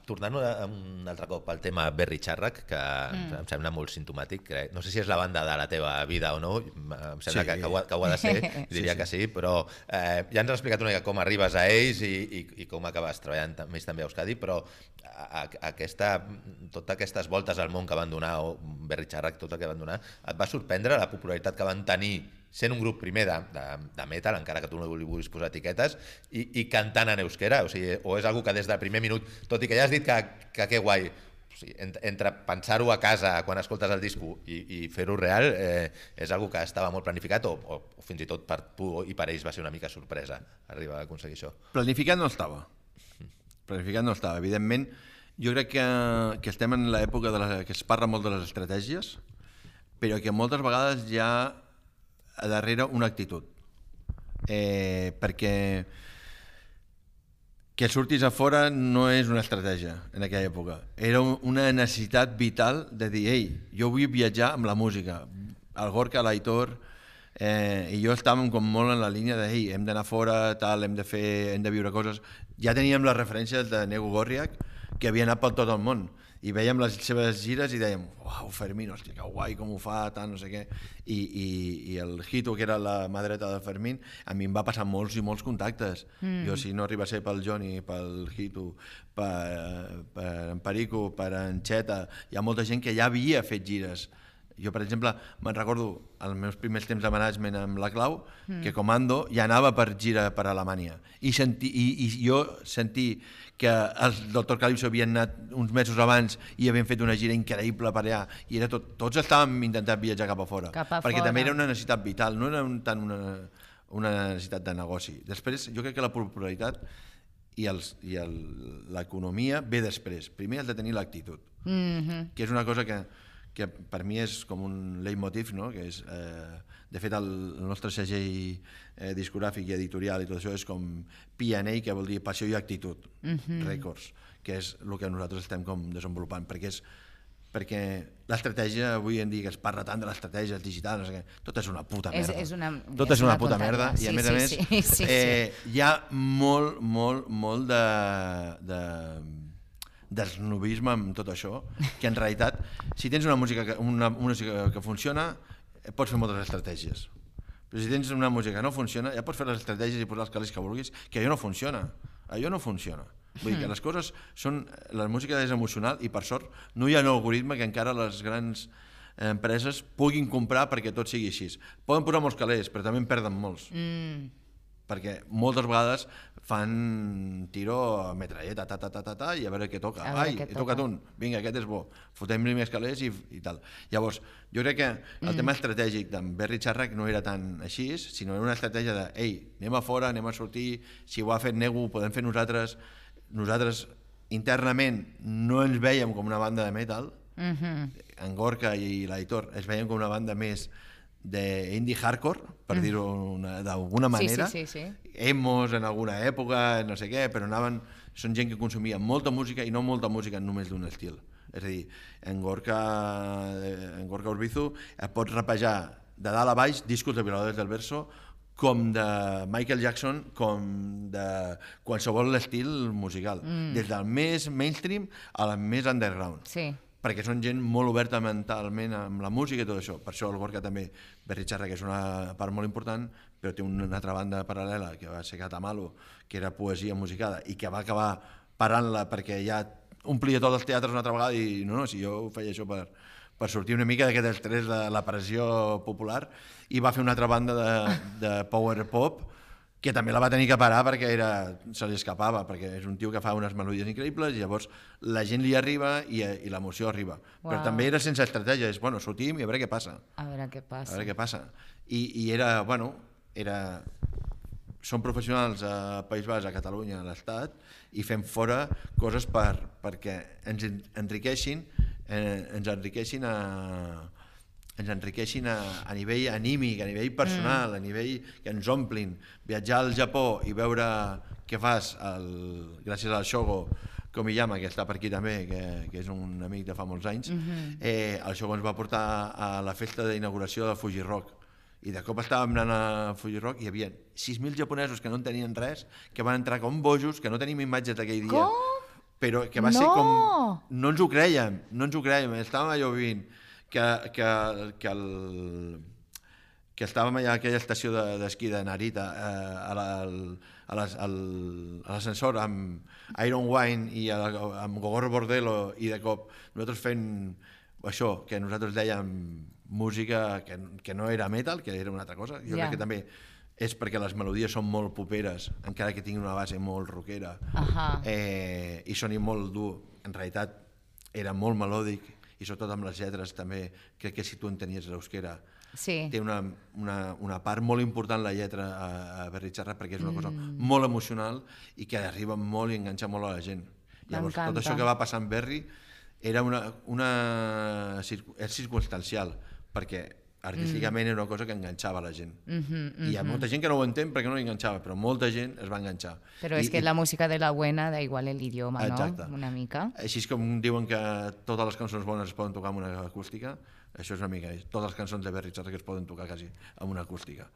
tornant un altre cop al tema Berry Charrac, que mm. em sembla molt simptomàtic, crec. No sé si és la banda de la teva vida o no, em sembla sí. que, que, ho ha, que ho ha de ser, diria sí, sí. que sí, però eh, ja ens has explicat una mica com arribes a ells i, i, i com acabes treballant més també a Euskadi, però a, a aquesta, totes aquestes voltes al món que van donar, o Berry Charrac, tot el que van donar, et va sorprendre la popularitat que van tenir sent un grup primer de, de, de metal, encara que tu no li vulguis posar etiquetes, i, i cantant en euskera, o sigui, o és algo que des del primer minut, tot i que ja has dit que, que que guai, o sigui, entre, entre pensar-ho a casa quan escoltes el disco i, i fer-ho real, eh, és algo que estava molt planificat, o, o, o fins i tot per tu i per ells va ser una mica sorpresa arribar a aconseguir això. Planificat no estava, planificat no estava, evidentment, jo crec que, que estem en l'època de la, que es parla molt de les estratègies, però que moltes vegades ja a darrere una actitud, eh, perquè que surtis a fora no és una estratègia en aquella època, era una necessitat vital de dir, ei, jo vull viatjar amb la música. El Gorka, l'Aitor eh, i jo estàvem com molt en la línia de, ei, hem d'anar fora, tal, hem de fer, hem de viure coses. Ja teníem les referències de Nego Gorriak, que havia anat per tot el món, i veiem les seves gires i dèiem, uau, Fermín, hòstia, que guai, com ho fa, tant, no sé què. I, i, i el Hito, que era la mà dreta de Fermín, a mi em va passar molts i molts contactes. Mm. Jo, si no arriba a ser pel Johnny, pel Hito, per, per en Perico, per en Xeta, hi ha molta gent que ja havia fet gires. Jo, per exemple, me'n recordo els meus primers temps de management amb la Clau, mm. que Comando ja anava per gira per Alemanya. I, senti, i, i jo sentir que els Doctor Calypso havien anat uns mesos abans i havien fet una gira increïble per allà, i era tot, tots estàvem intentant viatjar cap a fora, cap a perquè fora. també era una necessitat vital, no era un, tant una, una necessitat de negoci. Després, jo crec que la popularitat i l'economia ve després. Primer has de tenir l'actitud, mm-hmm. que és una cosa que que per mi és com un leitmotiv, no? Que és, eh, de fet, el, el nostre segell eh, discogràfic i editorial i tot això és com P and A, que vol dir Passió i Actitud, mm-hmm. Records, que és el que nosaltres estem com desenvolupant, perquè és perquè l'estratègia, avui en dia que es parla tant de l'estratègia digital, no sé què, tot és una puta merda. És, és una, tot és, és una, una puta merda, i a sí, més a més sí, sí, sí, eh, hi ha molt, molt, molt de... de d'esnobisme amb tot això, que en realitat, si tens una música que, una, una música que funciona, pots fer moltes estratègies. Però si tens una música que no funciona, ja pots fer les estratègies i posar els calés que vulguis, que allò no funciona. Allò no funciona. Vull dir que les coses són... La música és emocional i, per sort, no hi ha un algoritme que encara les grans empreses puguin comprar perquè tot sigui així. Poden posar molts calés, però també en perden molts. Mm. Perquè moltes vegades fan tiro a metralleta, ta, ta, ta, ta, ta, i a veure què toca. Ai, he tocat un, vinga, aquest és bo, fotem-li més calés i, i tal. Llavors, jo crec que el mm. tema estratègic d'en Berry Charrac no era tan així, sinó era una estratègia de, ei, anem a fora, anem a sortir, si ho ha fet Nego ho podem fer nosaltres. Nosaltres internament no ens veiem com una banda de metal, mm-hmm. en Gorka i l'Aitor es veiem com una banda més d'indie hardcore, per mm. dir-ho d'alguna manera, sí, sí, sí, sí. Emos en alguna època, no sé què, però anaven, són gent que consumia molta música i no molta música només d'un estil. És a dir, en Gorka, en Gorka Urbizu et pots rapejar de dalt a baix discos de Violadores del Verso, com de Michael Jackson, com de qualsevol estil musical, mm. des del més mainstream al més underground. Sí. Perquè són gent molt oberta mentalment amb la música i tot això. Per això el Gorka també, Berry Charrac, que és una part molt important, però té una altra banda paral·lela, que va ser Catamalo, que era poesia musicada, i que va acabar parant-la perquè ja omplia tots els teatres una altra vegada, i no, no, si jo ho feia això per, per sortir una mica d'aquest estrès de la pressió popular, i va fer una altra banda de, de power pop, que també la va tenir que parar perquè era, se li escapava, perquè és un tio que fa unes melodies increïbles i llavors la gent li arriba i, i l'emoció arriba. Wow. Però també era sense estratègia, és, bueno, sortim i a veure què passa. A veure què passa. A veure què passa. I, i era, bueno, era... Som professionals a País Basc, a Catalunya, a l'Estat, i fem fora coses per, perquè ens enriqueixin, eh, ens enriqueixin a... ens enriqueixin a, a nivell anímic, a nivell personal, mm. a nivell que ens omplin. Viatjar al Japó i veure què fas, el, gràcies al Shogo Komiyama, que està per aquí també, que, que és un amic de fa molts anys, mm-hmm. eh, el Shogo ens va portar a la festa d'inauguració del Fuji Rock. I de cop estàvem anant a Fuji Rock i hi havia sis mil japonesos que no en tenien res, que van entrar com bojos, que no tenim imatges d'aquell dia. Com? Però que va no. ser com... No ens ho creiem, no ens ho creiem, estàvem allò vivint. Que, que, que, el, que estàvem allà a aquella estació d'esquí de, de Narita, eh, a l'ascensor amb Iron Wine i a, amb Gogoro Bordello, i de cop nosaltres fent això, que nosaltres dèiem música que, que no era metal, que era una altra cosa. Jo yeah. crec que també és perquè les melodies són molt poperes, encara que tinguin una base molt rockera, uh-huh. eh, i sonin molt dur. En realitat era molt melòdic, i sobretot amb les lletres també, crec que si tu entenies l'euskera, sí. té una, una, una part molt important la lletra a, a Berry Charrac, perquè és una cosa mm. molt emocional i que arriba molt i enganxa molt a la gent. Llavors, tot això que va passar amb Berry era una, una, és circumstancial, perquè artísticament mm. era una cosa que enganxava la gent. Mm-hmm, mm-hmm. I hi ha molta gent que no ho entén perquè no l'enganxava, però molta gent es va enganxar. Però I, és que i... la música de la buena da igual l'idioma, Exacte. No? Una mica. Així és com diuen que totes les cançons bones es poden tocar amb una acústica, això és una mica, totes les cançons de Berry Charrac es poden tocar quasi amb una acústica,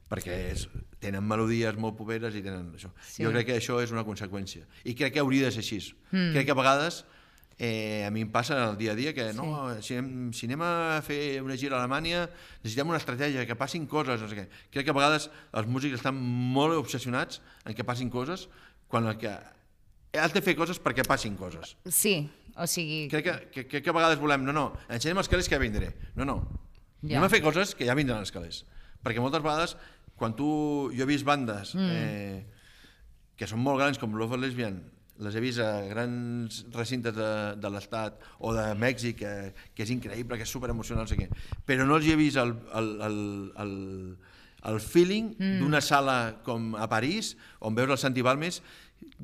perquè és, tenen melodies molt poperes i tenen això. Sí. Jo crec que això és una conseqüència. I crec que hauria de ser així. Mm. Crec que a vegades Eh, a mi em passa el dia a dia que no, si, anem, si anem a fer una gira a Alemanya necessitem una estratègia, que passin coses, no sé què. Crec que a vegades els músics estan molt obsessionats en que passin coses quan el que has de fer coses perquè passin coses. Sí, o sigui... Crec que, que, que, que a vegades volem, no, no, ensenyem els calés que ja vindré. No, no, Ja. anem a fer coses que ja vindran els calés. Perquè moltes vegades, quan tu... Jo he vist bandes mm. eh, que són molt grans, com Love Lesbian, les he vist a grans recintes de, de l'Estat o de Mèxic, que, que és increïble, que és superemocional, no sé què. Però no els hi he vist el, el, el, el, el feeling mm. d'una sala com a París, on veus el Santi Balmes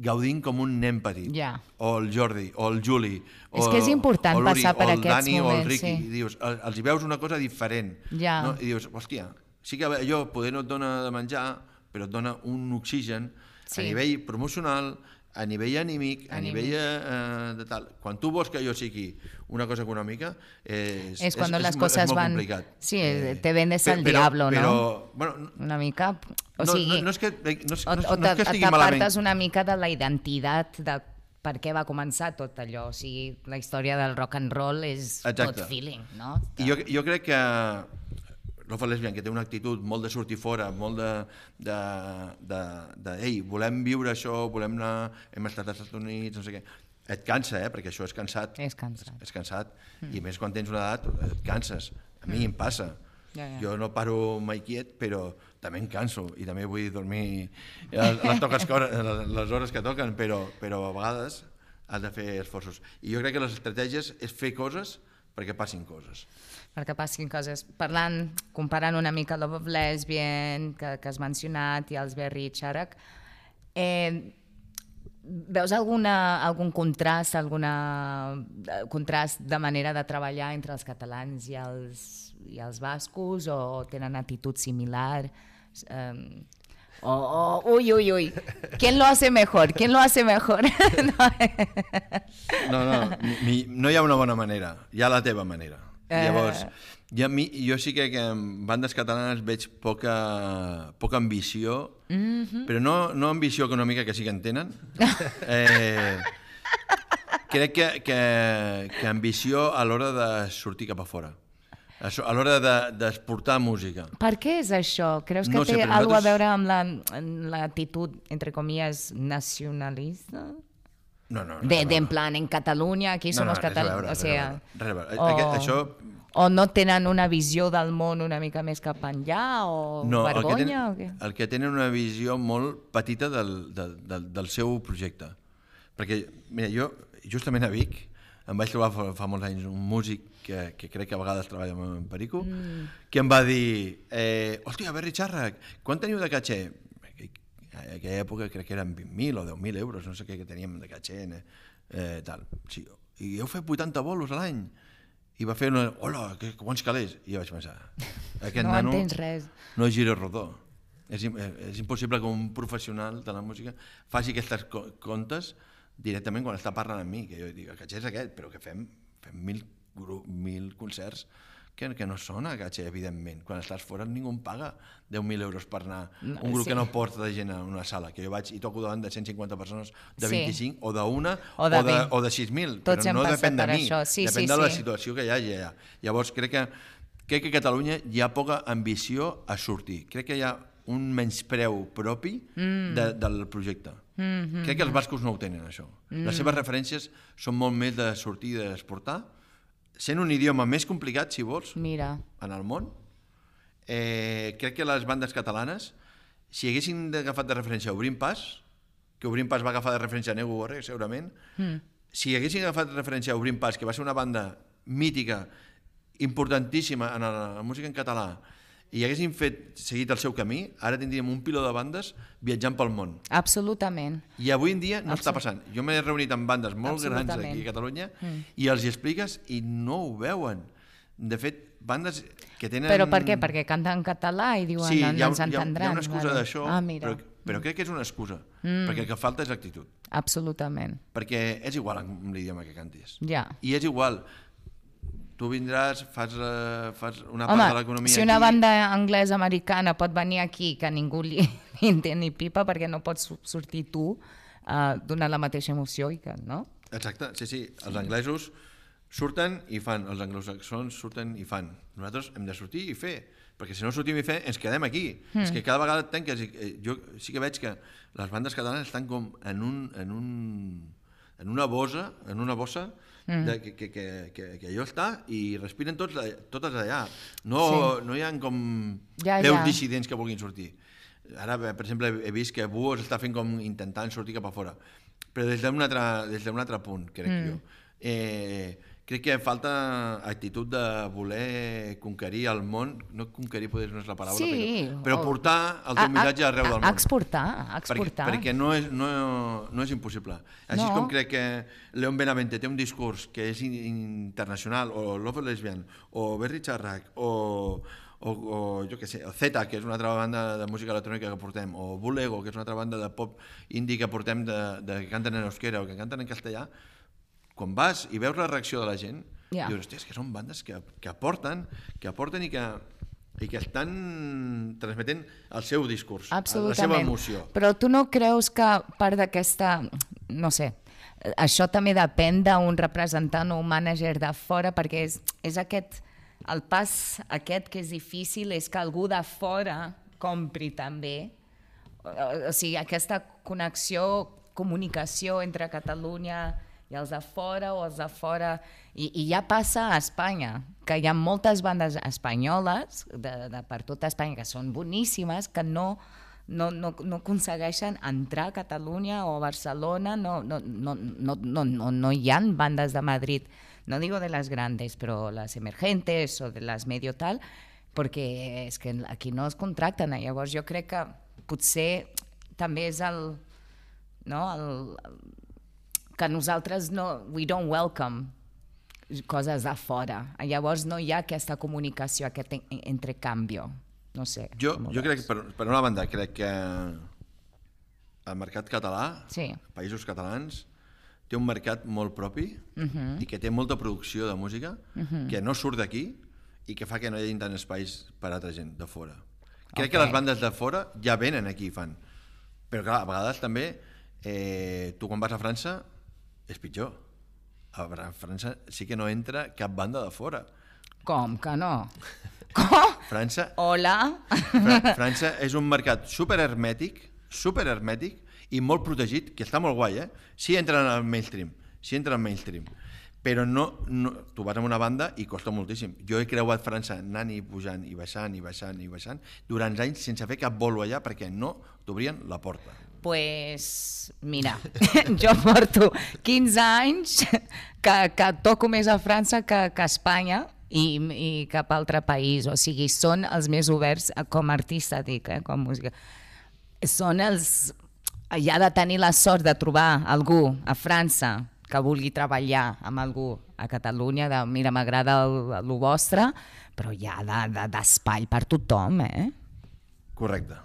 gaudint com un nen petit. Yeah. O el Jordi, o el Juli, o, és que és important o l'Uri, passar per o el aquests Dani, moments, o el Ricky. sí. I dius, els hi veus una cosa diferent. Yeah. No? I dius, hòstia, sí que allò poder no et dona de menjar, però et dona un oxigen sí. a nivell promocional, a nivell anímic, a Anímic. nivell eh, de tal. Quan tu vols que jo sigui una cosa econòmica, és, Es cuando és, las és, cosas és molt van... complicat. Sí, te vendes Però- al però- diablo, però, no? Bueno, Una mica... O no, sigui... no, no és que, no, és, o, no, o no és que estigui t'apartes malament. una mica de la identitat de per què va començar tot allò. O sigui, la història del rock and roll és Exacte. tot feeling, no? I jo, jo crec que Love Lesbian, que té una actitud molt de sortir fora, molt de, de, de, de ei, volem viure això, volem anar, hem estat als Estats Units, no sé què. Et cansa, eh? Perquè això és cansat. És cansat. És cansat. Mm. I més quan tens una edat, et canses. A mi mm. em passa. Ja, ja. Jo no paro mai quiet, però també em canso i també vull dormir les, les, toques, les hores que toquen, però, però a vegades has de fer esforços. I jo crec que les estratègies és fer coses perquè passin coses. Perquè passin coses. Parlant, comparant una mica Love of Lesbian, que, que has mencionat, i els Berry i Charak, eh, veus alguna, algun contrast, alguna contrast de manera de treballar entre els catalans i els, i els bascos, o tenen actitud similar? Um, o, o, uy, uy, uy, ¿quién lo hace mejor? ¿Quién lo hace mejor? No, no, mi, no hi ha una bona manera, hi ha la teva manera. Eh. Llavors, jo, mi, jo sí que, que en bandes catalanes veig poca, poca ambició, mm-hmm. però no, no ambició econòmica, que sí que en tenen. Eh, crec que, que, que ambició a l'hora de sortir cap a fora, a l'hora d'exportar música. Per què és això? Creus que No sé, té però alguna nosaltres- a veure amb la- amb l'actitud, entre comillas, nacionalista? No, no, no, De, no, de en no. plan, en Catalunya, aquí No, som no, els res a catalans. veure, O res a sigui, veure, res a veure. o, Aquest- això- o no tenen una visió del món una mica més cap enllà, o No, el que, vergonya, tenen, o què? el que tenen una visió molt petita del, del, del, del seu projecte. Perquè, mira, jo justament a Vic em vaig trobar fa, fa molts anys un músic que, que crec que a vegades treballa amb Perico, mm. que em va dir, eh, hòstia, Berry Charak, quan teniu de caché? En aquella època crec que eren vint mil o deu mil euros, no sé què que teníem de caché, eh, tal. Sí, i heu fet vuitanta bolos a l'any? I va fer una, hola, que, quants calés? I jo vaig pensar, aquest No nano entens res. no gira rodó. És, im- és impossible que un professional de la música faci aquestes co comptes directament quan està parlant amb mi, que jo dic, el caché és aquest, però que fem, fem mil, gru- mil concerts que, que no són a caché, evidentment. Quan estàs fora ningú em paga deu mil euros per anar No, un grup sí. que no porta de gent a una sala, que jo vaig i toco davant de cent cinquanta persones, de Sí. vint-i-cinc, o d'una, O o de de, vint. o de sis mil, Tots però hem no passat depèn de per mi, això. Sí, depèn sí, de la sí. situació que hi hagi allà. Llavors, crec que, crec que a Catalunya hi ha poca ambició a sortir. Crec que hi ha un menyspreu propi mm. de, del projecte. Mm -hmm. Crec que els bascos no ho tenen, això. Mm. Les seves referències són molt més de sortir i d'exportar, sent un idioma més complicat, si vols, Mira, en el món. Eh, crec que les bandes catalanes, si haguessin agafat de referència Obrim Pas, que Obrim Pas va agafar de referència a Nego Borré, segurament, mm. si haguessin agafat de referència a Obrim Pas, que va ser una banda mítica, importantíssima en la, la música en català, i haguessin fet, seguit el seu camí, ara tindríem un piló de bandes viatjant pel món. absolutament. I avui en dia no Absolut. està passant. Jo m'he reunit amb bandes molt grans aquí a Catalunya mm. i els hi expliques i no ho veuen. De fet, bandes que tenen... Però per què? Perquè canten en català i diuen Sí, no, hi no ha, ens hi ha, entendran. hi ha una excusa vale. d'això, Ah, mira. però, però crec que és una excusa, mm. perquè el que falta és actitud. Absolutament. Perquè és igual amb l'idioma que cantis. Ja. I és igual, tu vindràs, fas, uh, fas una part Home, de l'economia si una aquí... banda anglesa-americana pot venir aquí que ningú li, li entén ni pipa, perquè no pots su- sortir tu uh, donant la mateixa emoció i que, no? Exacte, sí, sí. Els anglesos surten i fan, els anglosaxons surten i fan. Nosaltres hem de sortir i fer, perquè si no sortim i fer, ens quedem aquí. Mm. És que cada vegada tanques... Jo sí que veig que les bandes catalanes estan com en un... En un en una bossa, en una bossa mm. de, que, que, que, que, que allò està i respiren tots, totes allà. No, sí. no hi ha com ja, veus ja. dissidents que vulguin sortir. Ara, per exemple, he vist que Buos està fent com intentant sortir cap a fora, però des d'un altre, des d'un altre punt, crec mm. jo. Eh, crec que falta actitud de voler conquerir el món, no conquerir potser no és la paraula, sí, però, però portar el teu missatge arreu del món. Exportar, exportar. Perquè, perquè no, és, no, no és impossible. Així no. com crec que Leon Benavente té un discurs que és internacional, o Love Lesbian, o Berry Charrac, o, o, o jo què sé, o Zeta, que és una altra banda de música electrònica que portem, o Bulego, que és una altra banda de pop indie que portem, de, de que canten en euskera o que canten en castellà, quan vas i veus la reacció de la gent, yeah. dius, hòstia, és que són bandes que, que aporten, que aporten i que, i que estan transmetent el seu discurs, la seva emoció. Però tu no creus que part d'aquesta, no sé, això també depèn d'un representant o un mànager de fora, perquè és, és aquest, el pas aquest que és difícil, és que algú de fora compri també, o sigui, aquesta connexió, comunicació entre Catalunya i els de fora o els de fora, i, i ja passa a Espanya, que hi ha moltes bandes espanyoles de, de per tota Espanya que són boníssimes, que no, no, no, no aconsegueixen entrar a Catalunya o a Barcelona, no, no, no, no, no, no, no hi ha bandes de Madrid, no digo de las grandes, però les emergentes o de les medio tal, perquè és que aquí no es contracten, llavors jo crec que potser també és el, no, el, el que nosaltres no, we don't welcome coses de fora. Llavors no hi ha aquesta comunicació, aquest entrecanvi. No sé. Jo, jo crec que, per, per una banda, crec que el mercat català, sí. països catalans, té un mercat molt propi uh-huh. i que té molta producció de música uh-huh. que no surt d'aquí i que fa que no hi hagi tant espais per a altra gent de fora. Crec okay. que les bandes de fora ja venen aquí i fan. Però clar, a vegades també eh, tu quan vas a França és pitjor. A França sí que no entra cap banda de fora. Com que no? Com? França... Hola? Fra França és un mercat superhermètic, superhermètic i molt protegit, que està molt guai, eh? Sí entren al mainstream, sí entren al mainstream, però no, no, tu vas amb una banda i costa moltíssim. Jo he creuat França anant i pujant i baixant i baixant i baixant durant anys sense fer cap bolo allà perquè no t'obrien la porta. Pues, mira, jo porto quinze anys que, que toco més a França que, que a Espanya i, i cap altre país. O sigui, són els més oberts com a artista, dic, eh, com a música. Són els... Hi ha de tenir la sort de trobar algú a França que vulgui treballar amb algú a Catalunya, de mira, m'agrada el, el vostre, però hi ha d'espai de, de, per tothom, eh? Correcte.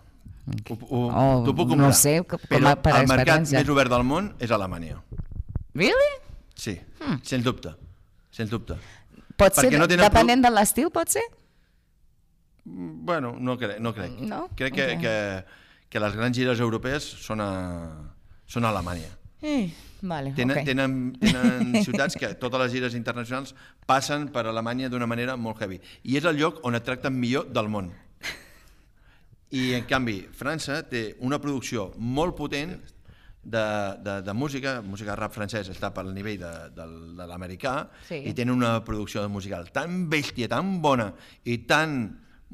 Ho, ho, oh, t'ho puc comprar, no sé, com però per el mercat més obert del món és Alemanya. Really? Sí, hmm. sens dubte, sens dubte. Pot ser, no depenent pro... de l'estil, pot ser? Bueno, no crec. No crec no? crec que, okay. que, que les grans gires europees són a, són a Alemanya. Eh, vale, tenen, okay. tenen, tenen ciutats que totes les gires internacionals passen per Alemanya d'una manera molt heavy. I és el lloc on et tracten millor del món. I, en canvi, França té una producció molt potent de, de, de música, música rap francès està pel nivell de, de, de l'americà, sí. i tenen una producció musical tan bèstia, tan bona i tan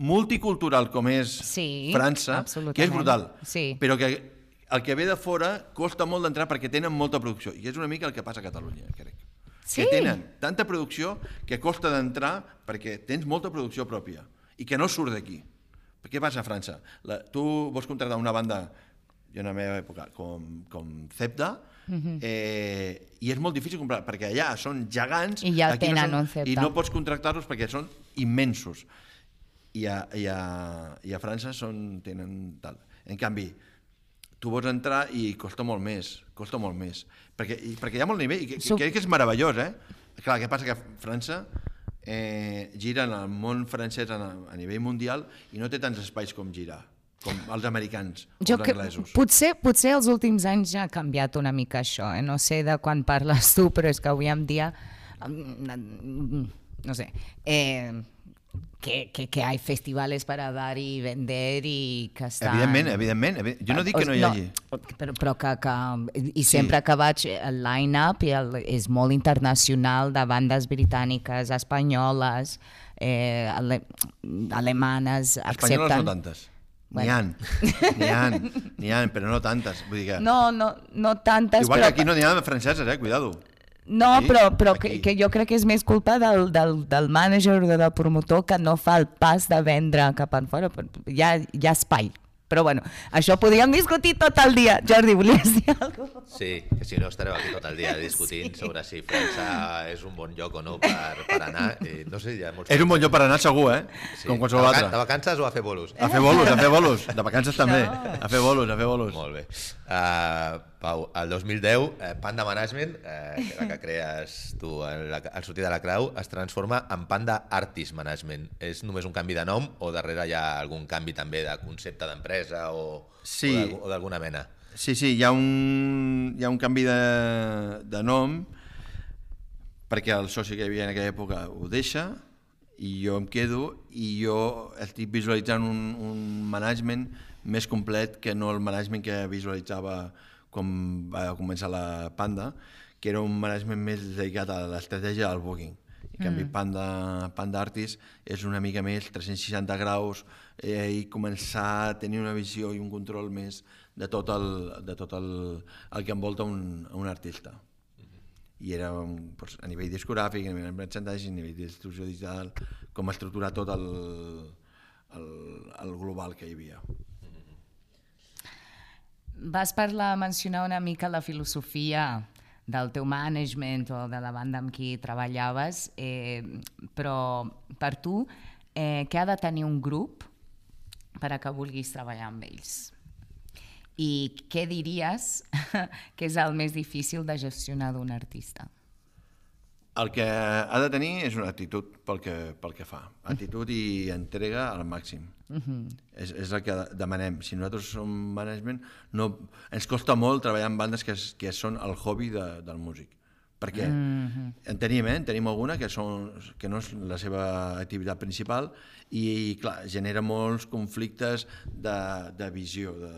multicultural com és sí, França, que és brutal. Sí. Però que el que ve de fora costa molt d'entrar perquè tenen molta producció, i és una mica el que passa a Catalunya, crec. Sí. Que tenen tanta producció que costa d'entrar perquè tens molta producció pròpia i que no surt d'aquí. Què passa a França? La, tu vols contractar una banda, jo en la meva època, com, com Cepda, uh-huh. eh, i és molt difícil comprar, perquè allà són gegants, i ja aquí tenen no són, un Cepda. I no pots contractar-los perquè són immensos. I a, i a, i a França són, tenen tal. En canvi, tu vols entrar i costa molt més, costa molt més. Perquè, i, perquè hi ha molt nivell, i que, Sup... crec que és meravellós, eh? Clar, què passa que a França... Eh, gira en el món francès a, a nivell mundial i no té tants espais com girar. com els americans, Jo els que, anglesos. potser, potser els últims anys ja ha canviat una mica això, eh? No sé de quan parles tu, però és que avui en dia, no sé, eh, que, que, que hay festivales para dar y vender y que estan... Evidentment, evidentment, evidentment. Jo no dic que no hi hagi. No, però, però que, que... I sempre sí. que vaig, el line-up és molt internacional de bandes britàniques, espanyoles, eh, ale, alemanes, Espanyoles accepten... no tantes. N'hi Bueno. ha, n'hi ha, n'hi ha, però no tantes. Vull dir que... No, no, no tantes, Igual però... que aquí no n'hi ha de franceses, eh? Cuidado. No, Sí, però, però que, aquí. que jo crec que és més culpa del, del, del mànager o del promotor que no fa el pas de vendre cap enfora. Hi ha, hi ha espai. Però bueno, això podríem discutir tot el dia. Jordi, volies dir alguna cosa? Sí, que si no estareu aquí tot el dia discutint sí. sobre si França és un bon lloc o no per, per anar. I no sé, hi ha molts... És un bon lloc per anar segur, eh? Sí. Com qualsevol de, vaca- altre. de vacances o a fer bolos? A fer bolos, a fer bolos. De vacances també. No. A fer bolos, a fer bolos. Molt bé. Uh, Pau, el dos mil deu, eh, Panda Management, eh, que la que crees tu al sortir de la Creu, es transforma en Panda Artist Management. És només un canvi de nom o darrere hi ha algun canvi també de concepte d'empresa o, Sí. o d'algú- o d'alguna mena? Sí, sí, hi ha un, hi ha un canvi de, de nom perquè el soci que hi havia en aquella època ho deixa i jo em quedo i jo estic visualitzant un, un management més complet que no el management que visualitzava quan va començar la Panda, que era un management més dedicat a l'estratègia del booking. En canvi, Panda, Panda Artist és una mica més tres-cents seixanta graus eh, i començar a tenir una visió i un control més de tot el, de tot el, el que envolta un, un artista. I era un, doncs, a nivell discogràfic, a nivell de merchandising, a nivell de distribució digital, com estructurar tot el, el, el global que hi havia. Vas parlar, mencionar una mica la filosofia del teu management o de la banda amb qui treballaves, eh, però per tu, eh, què ha de tenir un grup per a que vulguis treballar amb ells? I què diries que és el més difícil de gestionar d'un artista? El que ha de tenir és una actitud pel que, pel que fa. Actitud i entrega al màxim. Uh-huh. és, és el que demanem. Si nosaltres som management, no, ens costa molt treballar amb bandes que, que són el hobby de, del músic. Perquè uh-huh. en tenim, eh? En tenim alguna que, són, que no és la seva activitat principal i, clar, genera molts conflictes de, de visió. De,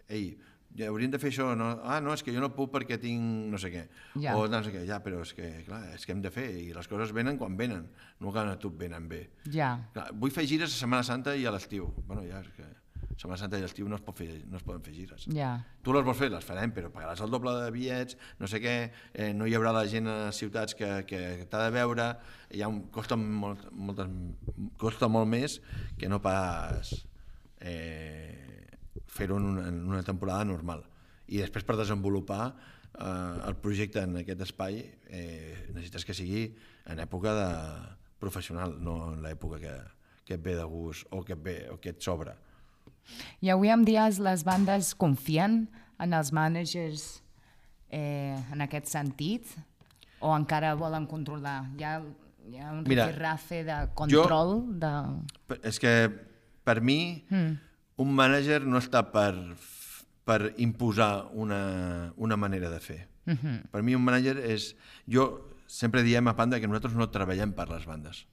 ei, hauríem de fer això, no? Ah, no, és que jo no puc perquè tinc no sé què, ja. o no sé què, ja, però és que, clar, és que hem de fer, i les coses venen quan venen, no quan a tu et venen bé. Ja. Clar, vull fer gires a Setmana Santa i a l'estiu. Bueno, ja, és que Setmana Santa i l'estiu no es, pot fer, no es poden fer gires. Ja. Tu les vols fer, les farem, però pagaràs el doble de bitllets, no sé què, eh, no hi haurà la gent a les ciutats que, que t'ha de veure, hi ha un, costa, molt, moltes, costa molt més que no pas... Eh, fer-ho en, en una temporada normal. I després per desenvolupar eh, el projecte en aquest espai eh, necessites que sigui en època de professional, no en l'època que, que et ve de gust o que et ve o que et sobra. I avui en dia les bandes confien en els managers eh, en aquest sentit o encara volen controlar? Hi ha, hi ha un rifirrafe de control? Jo, de... És que per mi mm. un mànager no està per, per imposar una, una manera de fer. Uh-huh. Per mi un mànager és... Jo sempre diem a Panda que nosaltres no treballem per les bandes.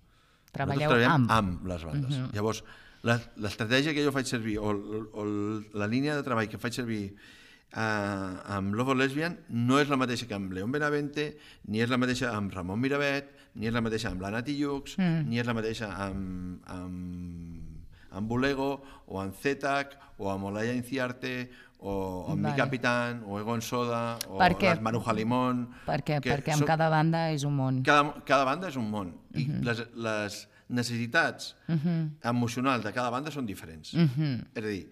Treballeu nosaltres treballem amb. amb les bandes. Uh-huh. Llavors, l'estratègia que jo faig servir o, o la línia de treball que faig servir eh, amb Love of Lesbian no és la mateixa que amb León Benavente, ni és la mateixa amb Ramon Miravet, ni és la mateixa amb l'Anna Tijoux, mm. ni és la mateixa amb... amb amb Bolego, o amb Zetac, o amb Olaya Inciarte, o amb vale. Mi Capitán, o Egon Soda, o les Maruja Limón... Per què? Perquè amb són... cada banda és un món. Cada, cada banda és un món. I uh-huh. les, les necessitats uh-huh. emocionals de cada banda són diferents. Uh-huh. És a dir,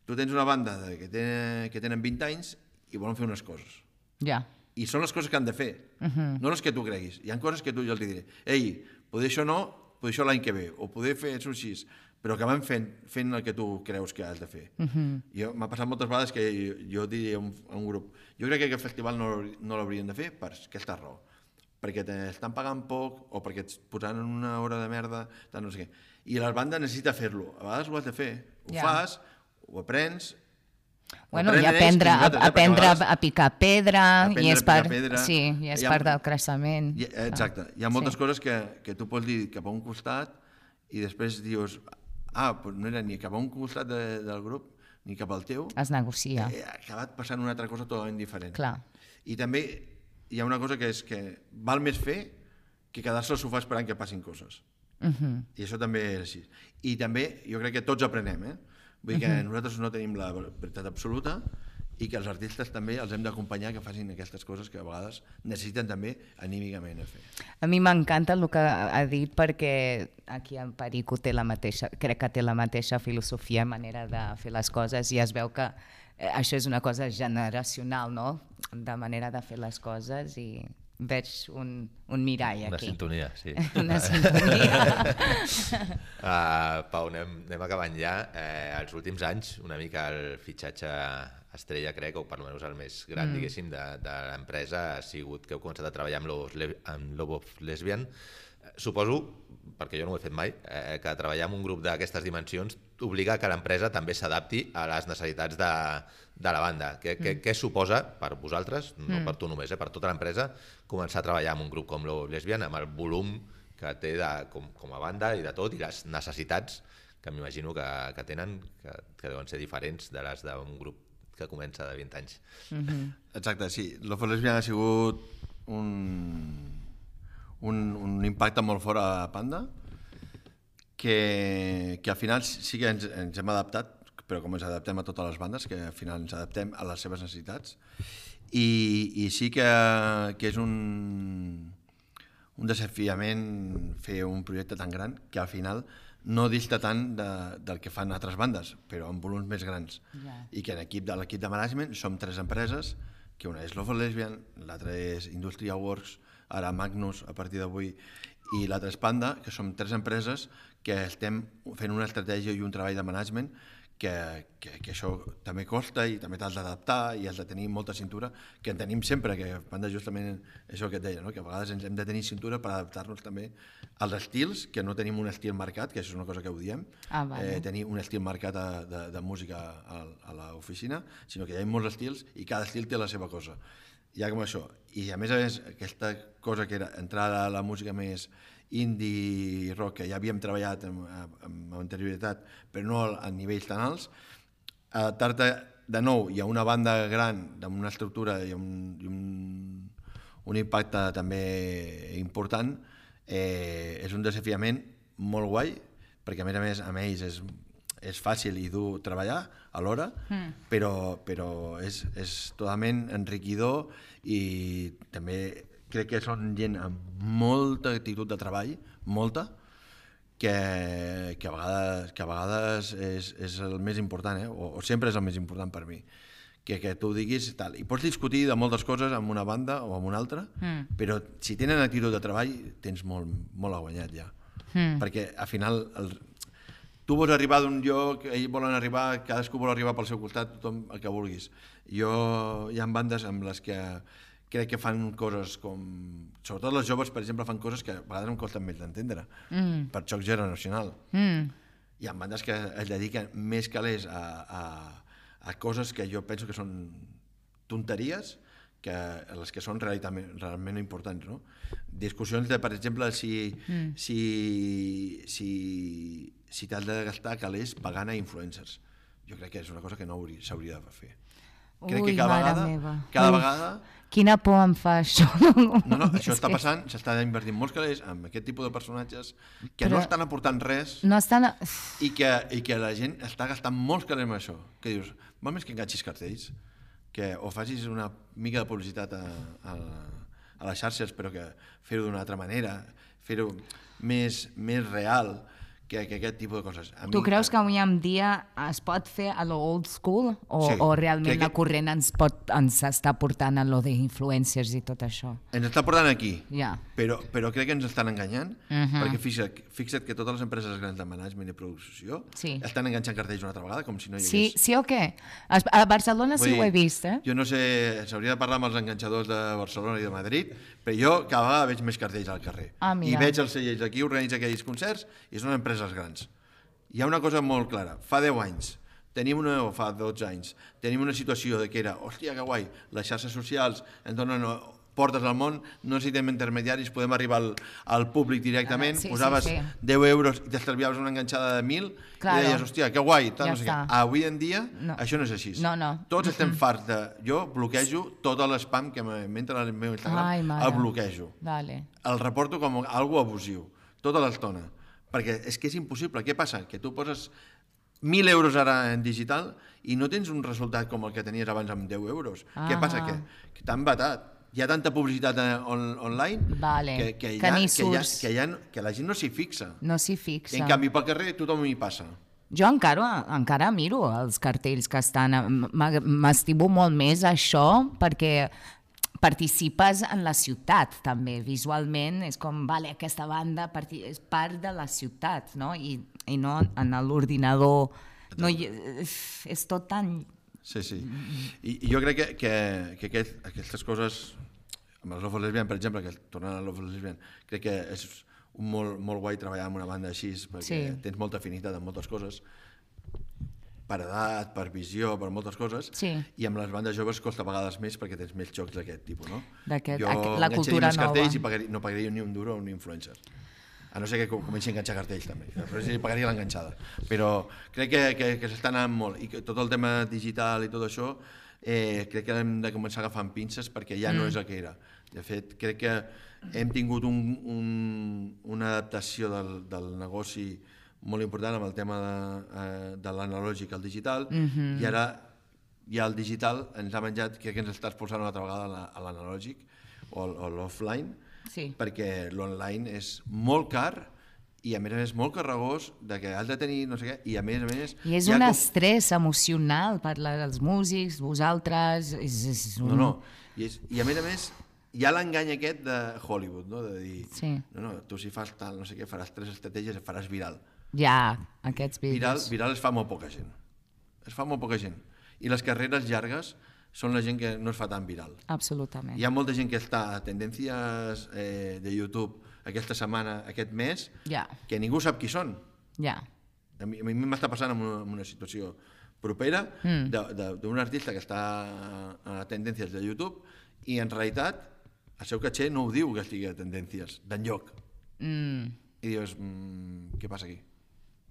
tu tens una banda de, que, ten, que tenen vint anys i volen fer unes coses. Ja. I són les coses que han de fer, uh-huh. no les que tu creguis. Hi ha coses que tu jo els diré, ei, poder això no, poder això l'any que ve, o poder fer això així, però que van fent, fent el que tu creus que has de fer. Uh-huh. M'ha passat moltes vegades que jo, jo diria a un, a un grup, jo crec que aquest festival no, no l'haurien de fer per aquesta raó, perquè t'estan pagant poc o perquè et posaran una hora de merda, tant no sé què. I la banda necessita fer-lo, a vegades ho has de fer, ho yeah. fas, ho aprens. Bueno, i aprendre, a, aprendre a picar pedra, aprendre i és, a picar part, pedra. Sí, i és Hi ha, part del creixement. Hi, exacte. Hi ha moltes sí. coses que, que tu pots dir cap a un costat i després dius, ah, doncs no era ni cap a un costat de, del grup ni cap al teu. Es negocia. Eh, ha acabat passant una altra cosa totalment diferent. Clar. I també hi ha una cosa que és que val més fer que quedar-se al sofà esperant que passin coses. Uh-huh. I això també és així. I també jo crec que tots aprenem, eh? Vull dir que uh-huh. nosaltres no tenim la veritat absoluta i que els artistes també els hem d'acompanyar que facin aquestes coses que a vegades necessiten també anímicament a fer. A mi m'encanta el que ha dit perquè aquí en Perico té la mateixa, crec que té la mateixa filosofia, manera de fer les coses i es veu que això és una cosa generacional, no? De manera de fer les coses i veig un, un mirall una aquí. Una sintonia, sí. Una sintonia. uh, Pau, anem, anem acabant ja. Eh, els últims anys, una mica el fitxatge estrella, crec, o per almenys el més gran, mm. diguéssim, de, de l'empresa ha sigut que heu començat a treballar amb Lobos, amb Lobos Lesbian. Suposo, perquè jo no ho he fet mai, eh, que treballar en un grup d'aquestes dimensions obliga que l'empresa també s'adapti a les necessitats de, de la banda. Què, mm. què, què suposa per vosaltres, no mm. per tu només, eh, per tota l'empresa, començar a treballar en un grup com Lobos Lesbian, amb el volum que té de, com, com a banda i de tot, i les necessitats que m'imagino que, que tenen, que, que deuen ser diferents de les d'un grup que comença de vint anys. Mm-hmm. Exacte, sí. Lobos Lesbian ha sigut un... Un, un impacte molt fort a Panda, que, que al final sí que ens, ens hem adaptat, però com ens adaptem a totes les bandes, que al final ens adaptem a les seves necessitats, i, i sí que, que és un, un desafiament fer un projecte tan gran que al final no dista tant de, del que fan altres bandes, però amb volums més grans. Yeah. I que en equip de l'equip de management som tres empreses, que una és Lobos Lesbian, l'altra és Industrial Works, ara Magnus a partir d'avui, i l'altra és Panda, que som tres empreses que estem fent una estratègia i un treball de management que, que, que això també costa i també t'has d'adaptar i has de tenir molta cintura, que en tenim sempre, que Panda justament és això que et deia, no? Que a vegades ens hem de tenir cintura per adaptar-nos també als estils, que no tenim un estil marcat, que això és una cosa que ho diem, ah, vale. eh, tenir un estil marcat a, de, de música a, a l'oficina, sinó que hi ha molts estils i cada estil té la seva cosa. Ja com això, i a més a més aquesta cosa que era entrar a la música més indie rock, que ja havíem treballat amb, amb anterioritat, però no a nivells tan alts, adaptar-te de nou i a una banda gran, amb una estructura i un, i un, un impacte també important, eh, és un desafiament molt guai, perquè a més a més amb ells és, és fàcil i dur treballar alhora, mm. però, però és, és totalment enriquidor i també crec que són gent amb molta actitud de treball, molta, que, que a vegades, que a vegades és, és el més important, eh? o, o sempre és el més important per mi. Que, que tu diguis tal. I pots discutir de moltes coses amb una banda o amb una altra, mm. però si tenen actitud de treball tens molt, molt guanyat ja. Mm. Perquè al final el, tu vols arribar d'un lloc, ells volen arribar, cadascú vol arribar pel seu costat, tothom el que vulguis. Jo, hi ha bandes amb les que crec que fan coses com... Sobretot les joves, per exemple, fan coses que a vegades em costen més d'entendre, mm. per xoc generacional. Mm. Hi ha bandes que es dediquen més calés a, a, a coses que jo penso que són tonteries, que les que són realment, realment importants, no? Discussions de, per exemple, si, mm. si, si, si t'has de gastar calés pagant a influencers. Jo crec que és una cosa que no s'hauria de fer. Crec Ui, que cada vegada, meva. cada Ui, vegada... Quina por em fa això. No, no, això està passant, s'està invertint molts calés amb aquest tipus de personatges que Però no estan aportant res no estan... i, que, i que la gent està gastant molts calés amb això. Que dius, val més que enganxis cartells, que o facis una mica de publicitat a, a, a les xarxes, però que fer-ho d'una altra manera, fer-ho més, més real que, que aquest tipus de coses. A tu mi, creus que avui en dia es pot fer a lo old school o, sí, o realment que, la corrent ens, pot, ens està portant a lo d'influencers i tot això? Ens està portant aquí, yeah. però, però crec que ens estan enganyant, uh-huh. perquè fixa't, fixa't que totes les empreses grans de management i producció sí. estan enganxant cartells una altra vegada, com si no hi hagués... Sí, sí o què? A Barcelona sí dir, ho he vist, eh? Jo no sé, s'hauria de parlar amb els enganxadors de Barcelona i de Madrid, però jo cada vegada veig més cartells al carrer. Ah, I veig els cellers d'aquí, organitza aquells concerts, i són empreses grans. Hi ha una cosa molt clara, fa deu anys tenim una, fa dotze anys, tenim una situació de que era, hòstia, que guai, les xarxes socials ens donen portes al món, no necessitem intermediaris, podem arribar al, al públic directament, ah, sí, posaves sí, sí. deu euros i t'estalviaves una enganxada de mil claro. I deies, hòstia, que guai, tal, ja no sé què. Avui en dia no. Això no és així. No, no. Tots estem farts de... Jo bloquejo tot l'espam que m'entra al meu Instagram, Ai, el bloquejo. Vale. El reporto com algo abusiu, tota l'estona. Perquè és que és impossible. Què passa? Que tu poses mil euros ara en digital i no tens un resultat com el que tenies abans amb deu euros. Ah. Què passa? Que, que t'han batat. Hi ha tanta publicitat on, online vale. que, que, que, ha, ni que, ha, que, ha, que la gent no s'hi fixa. No s'hi fixa. I en canvi, pel carrer tothom hi passa. Jo encara, encara miro els cartells que estan... M'estimo molt més això perquè participes en la ciutat, també. Visualment és com, vale, aquesta banda és part de la ciutat, no? I, i no en l'ordinador. No, és tot tan... Sí, sí. I, i jo crec que, que, que aquest, aquestes coses, amb el Love of Lesbian, per exemple, que tornant al Love of Lesbian, crec que és un molt, molt guai treballar amb una banda així, perquè sí. Tens molta afinitat en moltes coses, per edat, per visió, per moltes coses, sí. I amb les bandes joves costa a vegades més perquè tens més jocs d'aquest tipus, no? Jo la cultura nova. Cartells i pagaria, no pagaria ni un duro a un influencer. A no ser que comenci a enganxar cartells també, però sí pagaria l'enganxada. Però crec que, que, que s'està anant molt i que tot el tema digital i tot això eh, crec que hem de començar a agafar amb pinces perquè ja mm. no és el que era. De fet, crec que hem tingut un, un, una adaptació del, del negoci molt important amb el tema de, eh, de l'analògic al digital mm-hmm. I ara ja el digital ens ha menjat, crec que ens està expulsant una altra vegada a l'analògic o, o l'offline. Sí. Perquè l'online és molt car i a més a més molt carregós de que has de tenir no sé què i a més a més... I és un com... estrès emocional per als músics, vosaltres... És, és un... No, no, I, és, i a més a més hi ha l'engany aquest de Hollywood, no? De dir, sí. no, no, tu si fas tal, no sé què, faràs tres estratègies i faràs viral. Ja, aquests vídeos. Viral, viral es fa molt poca gent. Es fa molt poca gent. I les carreres llargues són la gent que no es fa tan viral. Absolutament. Hi ha molta gent que està a tendències eh, de YouTube aquesta setmana, aquest mes, yeah. que ningú sap qui són. Yeah. A mi, a mi m'està passant en una, en una situació propera mm. d'un artista que està a tendències de YouTube i en realitat el seu caché no ho diu que estigui a tendències d'enlloc. Mm. I dius, mm, què passa aquí?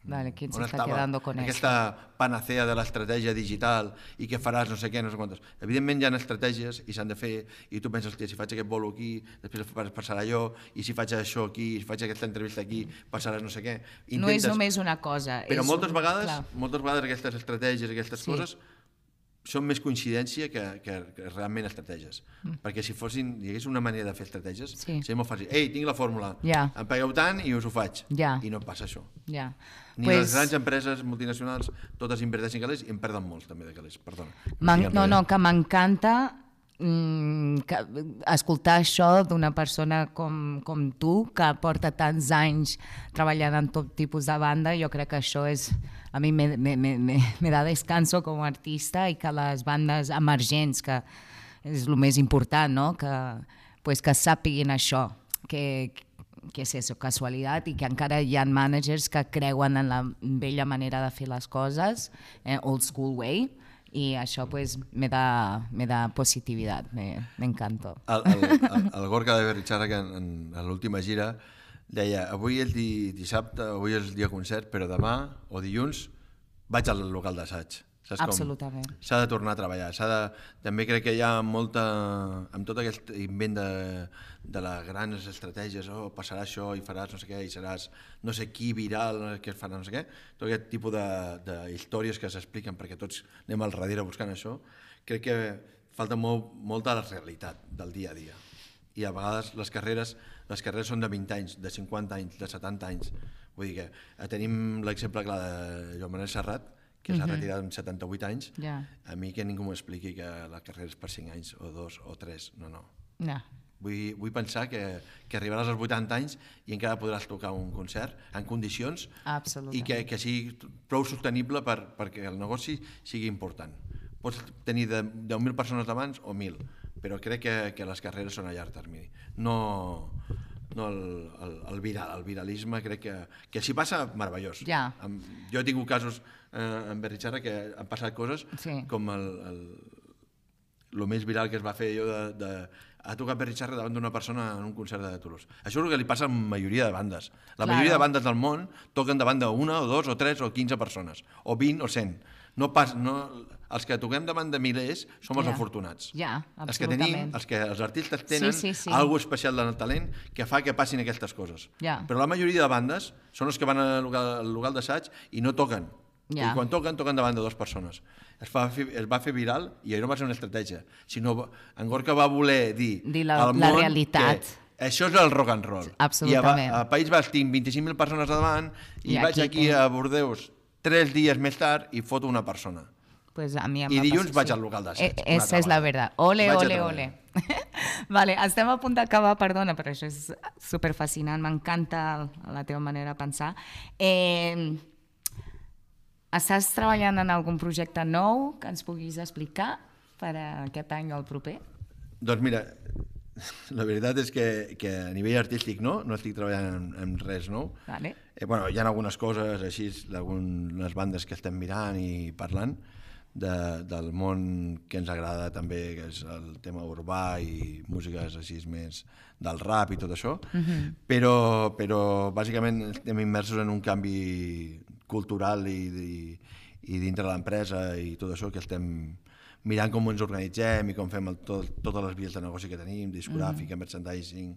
Vale, ¿quién se está quedando con aquesta eso? Panacea de l'estratègia digital i què faràs no sé què, no sé quantos. Evidentment hi ha estratègies i s'han de fer i tu penses, si faig aquest bolo aquí, després passarà allò, i si faig això aquí, si faig aquesta entrevista aquí, passarà no sé què. Intentes... No és només una cosa. Però és moltes, un... vegades, moltes vegades aquestes estratègies, aquestes sí. coses, són més coincidència que, que, que realment estratègies. Mm. Perquè si fossin, hi hagués una manera de fer estratègies, sí. seria molt fàcil. Ei, tinc la fórmula, yeah. em pagueu tant i us ho faig. Yeah. I no passa això. Yeah. Ni pues... les grans empreses multinacionals totes inverteixen calés i en perden molts també de calés. Perdona. No, no, que m'encanta mm, que, escoltar això d'una persona com, com tu, que porta tants anys treballant en tot tipus de banda. Jo crec que això és... A mi me, me, me, me da descanso com a artista i que les bandes emergents, que és el més important, no? que, pues, que sàpiguin això, que, que és això, casualitat, i que encara hi ha managers que creuen en la vella manera de fer les coses, eh, old school way, i això pues, me, da, me da positivitat, me, me encanta. El, el, el, el Gorka de Berrichara, que en, en, en l'última gira, deia, avui és di, dissabte, avui és el dia concert, però demà o dilluns vaig al local d'assaig. Absolutament. S'ha de tornar a treballar. De, també crec que hi ha molta... Amb tot aquest invent de, de les grans estratègies, oh, passarà això i faràs no sé què, i seràs no sé qui viral, que farà no sé què, tot aquest tipus de, de històries que s'expliquen perquè tots anem al darrere buscant això, crec que falta molt, molta la realitat del dia a dia. I a vegades les carreres, les carreres són de vint anys, de cinquanta anys, de setanta anys. Vull dir que tenim l'exemple clar de Joan Manel Serrat, que s'ha uh-huh. retirat amb setanta-vuit anys. Yeah. A mi que ningú m'expliqui que la carrera és per cinc anys, o dos, o tres. No, no. no. Vull, vull pensar que, que arribaràs als vuitanta anys i encara podràs tocar un concert en condicions i que, que sigui prou sostenible per, perquè el negoci sigui important. Pots tenir de deu mil persones davant o mil, però crec que, que les carreres són a llarg termini. No, no el, el, el, viral, el viralisme, crec que, que s'hi passa meravellós. Ja. Jo he tingut casos eh, en Berritxarra que han passat coses sí. com el, el, el més viral que es va fer jo de, de ha tocat Berritxarra davant d'una persona en un concert de Toulouse. Això és el que li passa a la majoria de bandes. La claro. majoria de bandes del món toquen davant d'una o dos o tres o quinze persones, o vint o cent. No pas, no, els que toquem davant de milers som els ja. afortunats. Ja, els que tenim, els que els artistes tenen sí, sí, sí. alguna especial del talent que fa que passin aquestes coses. Ja. Però la majoria de bandes són els que van al local, al local d'assaig i no toquen. Ja. I quan toquen, toquen davant de dues persones. Es, fa, es va fer viral i no va ser una estratègia, sinó en Gorka va voler dir, dir la, al món la realitat. Que això és el rock and roll. Absolutament. I a, a País Basc tinc vint-i-cinc mil persones davant i, I vaig aquí, aquí a Bordeus tres dies més tard i foto una persona. Pues a mi em I dilluns passar, vaig sí. al local d'assaig. Eh, esa és la veritat. Ole, ole, ole. Vale, estem a punt d'acabar, perdona, però això és superfascinant, m'encanta la teva manera de pensar. Eh, estàs treballant en algun projecte nou que ens puguis explicar per a aquest any o el proper? Doncs mira, la veritat és que, que a nivell artístic no, no estic treballant en, en res nou. Vale. Eh, bueno, hi ha algunes coses així, algunes bandes que estem mirant i parlant de, del món que ens agrada també, que és el tema urbà i músiques així més del rap i tot això, uh-huh. però, però bàsicament estem immersos en un canvi cultural i, i, i dintre de l'empresa i tot això que estem mirant com ens organitzem i com fem el, tot, totes les vies de negoci que tenim, discogràfica, uh-huh. merchandising,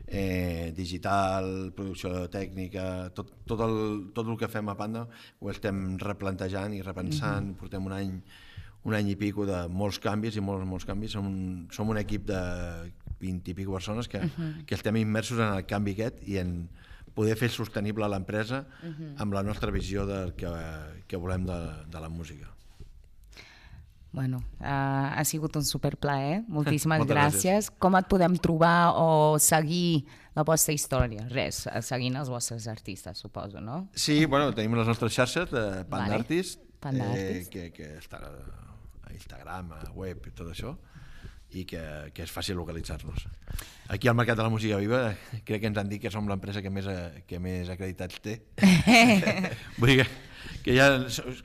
eh, digital, producció tècnica, tot, tot, el, tot el que fem a Panda ho estem replantejant i repensant, uh-huh. portem un any, un any i pico de molts canvis i molts, molts canvis, som, som un equip de vint i pico persones que, uh-huh. que estem immersos en el canvi aquest i en poder fer sostenible l'empresa uh-huh. amb la nostra visió del que, que volem de, de la música. Bueno, uh, ha sigut un superplaer, moltíssimes gràcies. gràcies. Com et podem trobar o seguir la vostra història? Res, seguint els vostres artistes, suposo, no? Sí, bueno, tenim les nostres xarxes de Panda vale. Artist, Panda eh, Artist. Que, que està a Instagram, a web i tot això, i que, que és fàcil localitzar-nos. Aquí al Mercat de la Música Viva crec que ens han dit que som l'empresa que més, que més acreditats té. Vull dir que, que ja,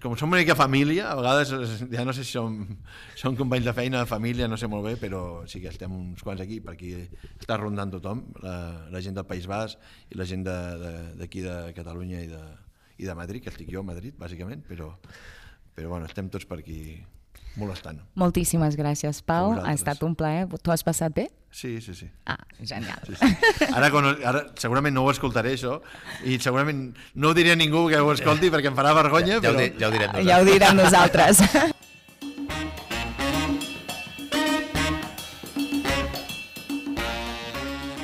com som una mica família, a vegades ja no sé si som, som companys de feina, família, no sé molt bé, però sí que estem uns quants aquí, per aquí està rondant tothom, la, la gent del País Basc i la gent d'aquí de, de Catalunya i de, i de Madrid, que estic jo a Madrid, bàsicament, però, però bueno, estem tots per aquí molestant. Moltíssimes gràcies, Pau. Ha estat un plaer. Tu has passat bé? Sí, sí, sí. Ah, genial. Sí, sí. Ara, quan, ara segurament no ho escoltaré, això, i segurament no ho diré a ningú que ho escolti perquè em farà vergonya, ja, ja però... Ho di, ja ho direm nosaltres. Ja ho direm nosaltres.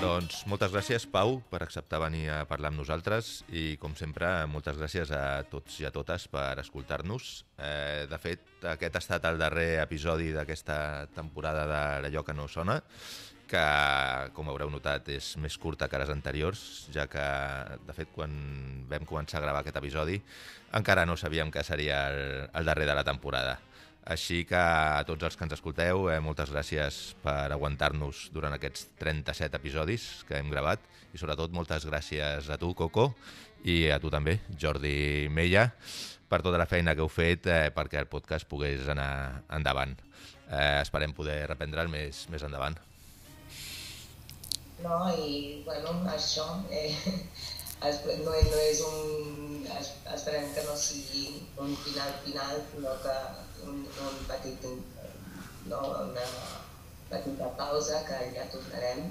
Doncs moltes gràcies, Pau, per acceptar venir a parlar amb nosaltres i, com sempre, moltes gràcies a tots i a totes per escoltar-nos. Eh, de fet, aquest ha estat el darrer episodi d'aquesta temporada d'Allò que no sona, que, com haureu notat, és més curta que les anteriors, ja que, de fet, quan vam començar a gravar aquest episodi, encara no sabíem que seria el, el darrer de la temporada. Així que a tots els que ens escolteu, eh, moltes gràcies per aguantar-nos durant aquests trenta-set episodis que hem gravat i sobretot moltes gràcies a tu, Coco, i a tu també, Jordi Mella, per tota la feina que heu fet eh, perquè el podcast pogués anar endavant. Eh, esperem poder reprendre'l més, més endavant. No, i bueno, això eh, no, no és un... esperem que no sigui un final final, sinó que un, un petit, no, una petita pausa que ja tornarem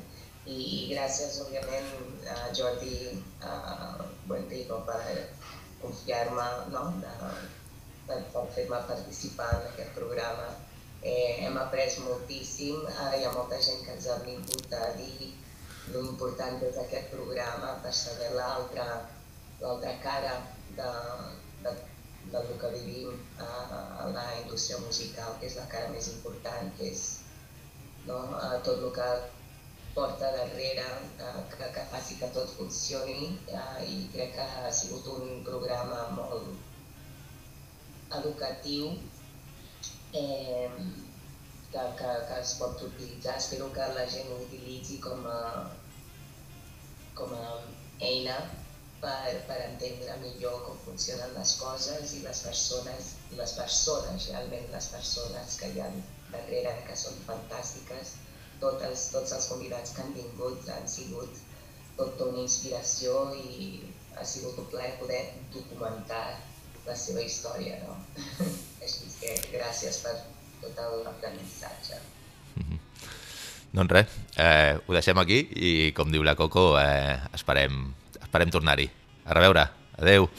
i gràcies òbviament a Jordi a Buentico per confiar-me, no, per, per fer-me participar en aquest programa. Eh, hem après moltíssim, ara hi ha molta gent que ens ha vingut a dir l'important és aquest programa per saber l'altra l'altra cara de, de del que vivim a, a la indústria musical, que és la cara més important, que és, no, tot el que porta darrere, que, que faci que tot funcioni, i crec que ha sigut un programa molt educatiu eh, que, que, que es pot utilitzar. Espero que la gent ho utilitzi com a, com a eina per, per entendre millor com funcionen les coses i les persones, les persones, realment les persones que hi ha darrere, que són fantàstiques. Tots els, tots els convidats que han vingut han sigut tota una inspiració i ha sigut un plaer poder documentar la seva història, no? Així que gràcies per tot l'aprenentatge. Mm-hmm. Doncs res, eh, ho deixem aquí i com diu la Coco, eh, esperem, esperem tornar-hi. A reveure, adeu!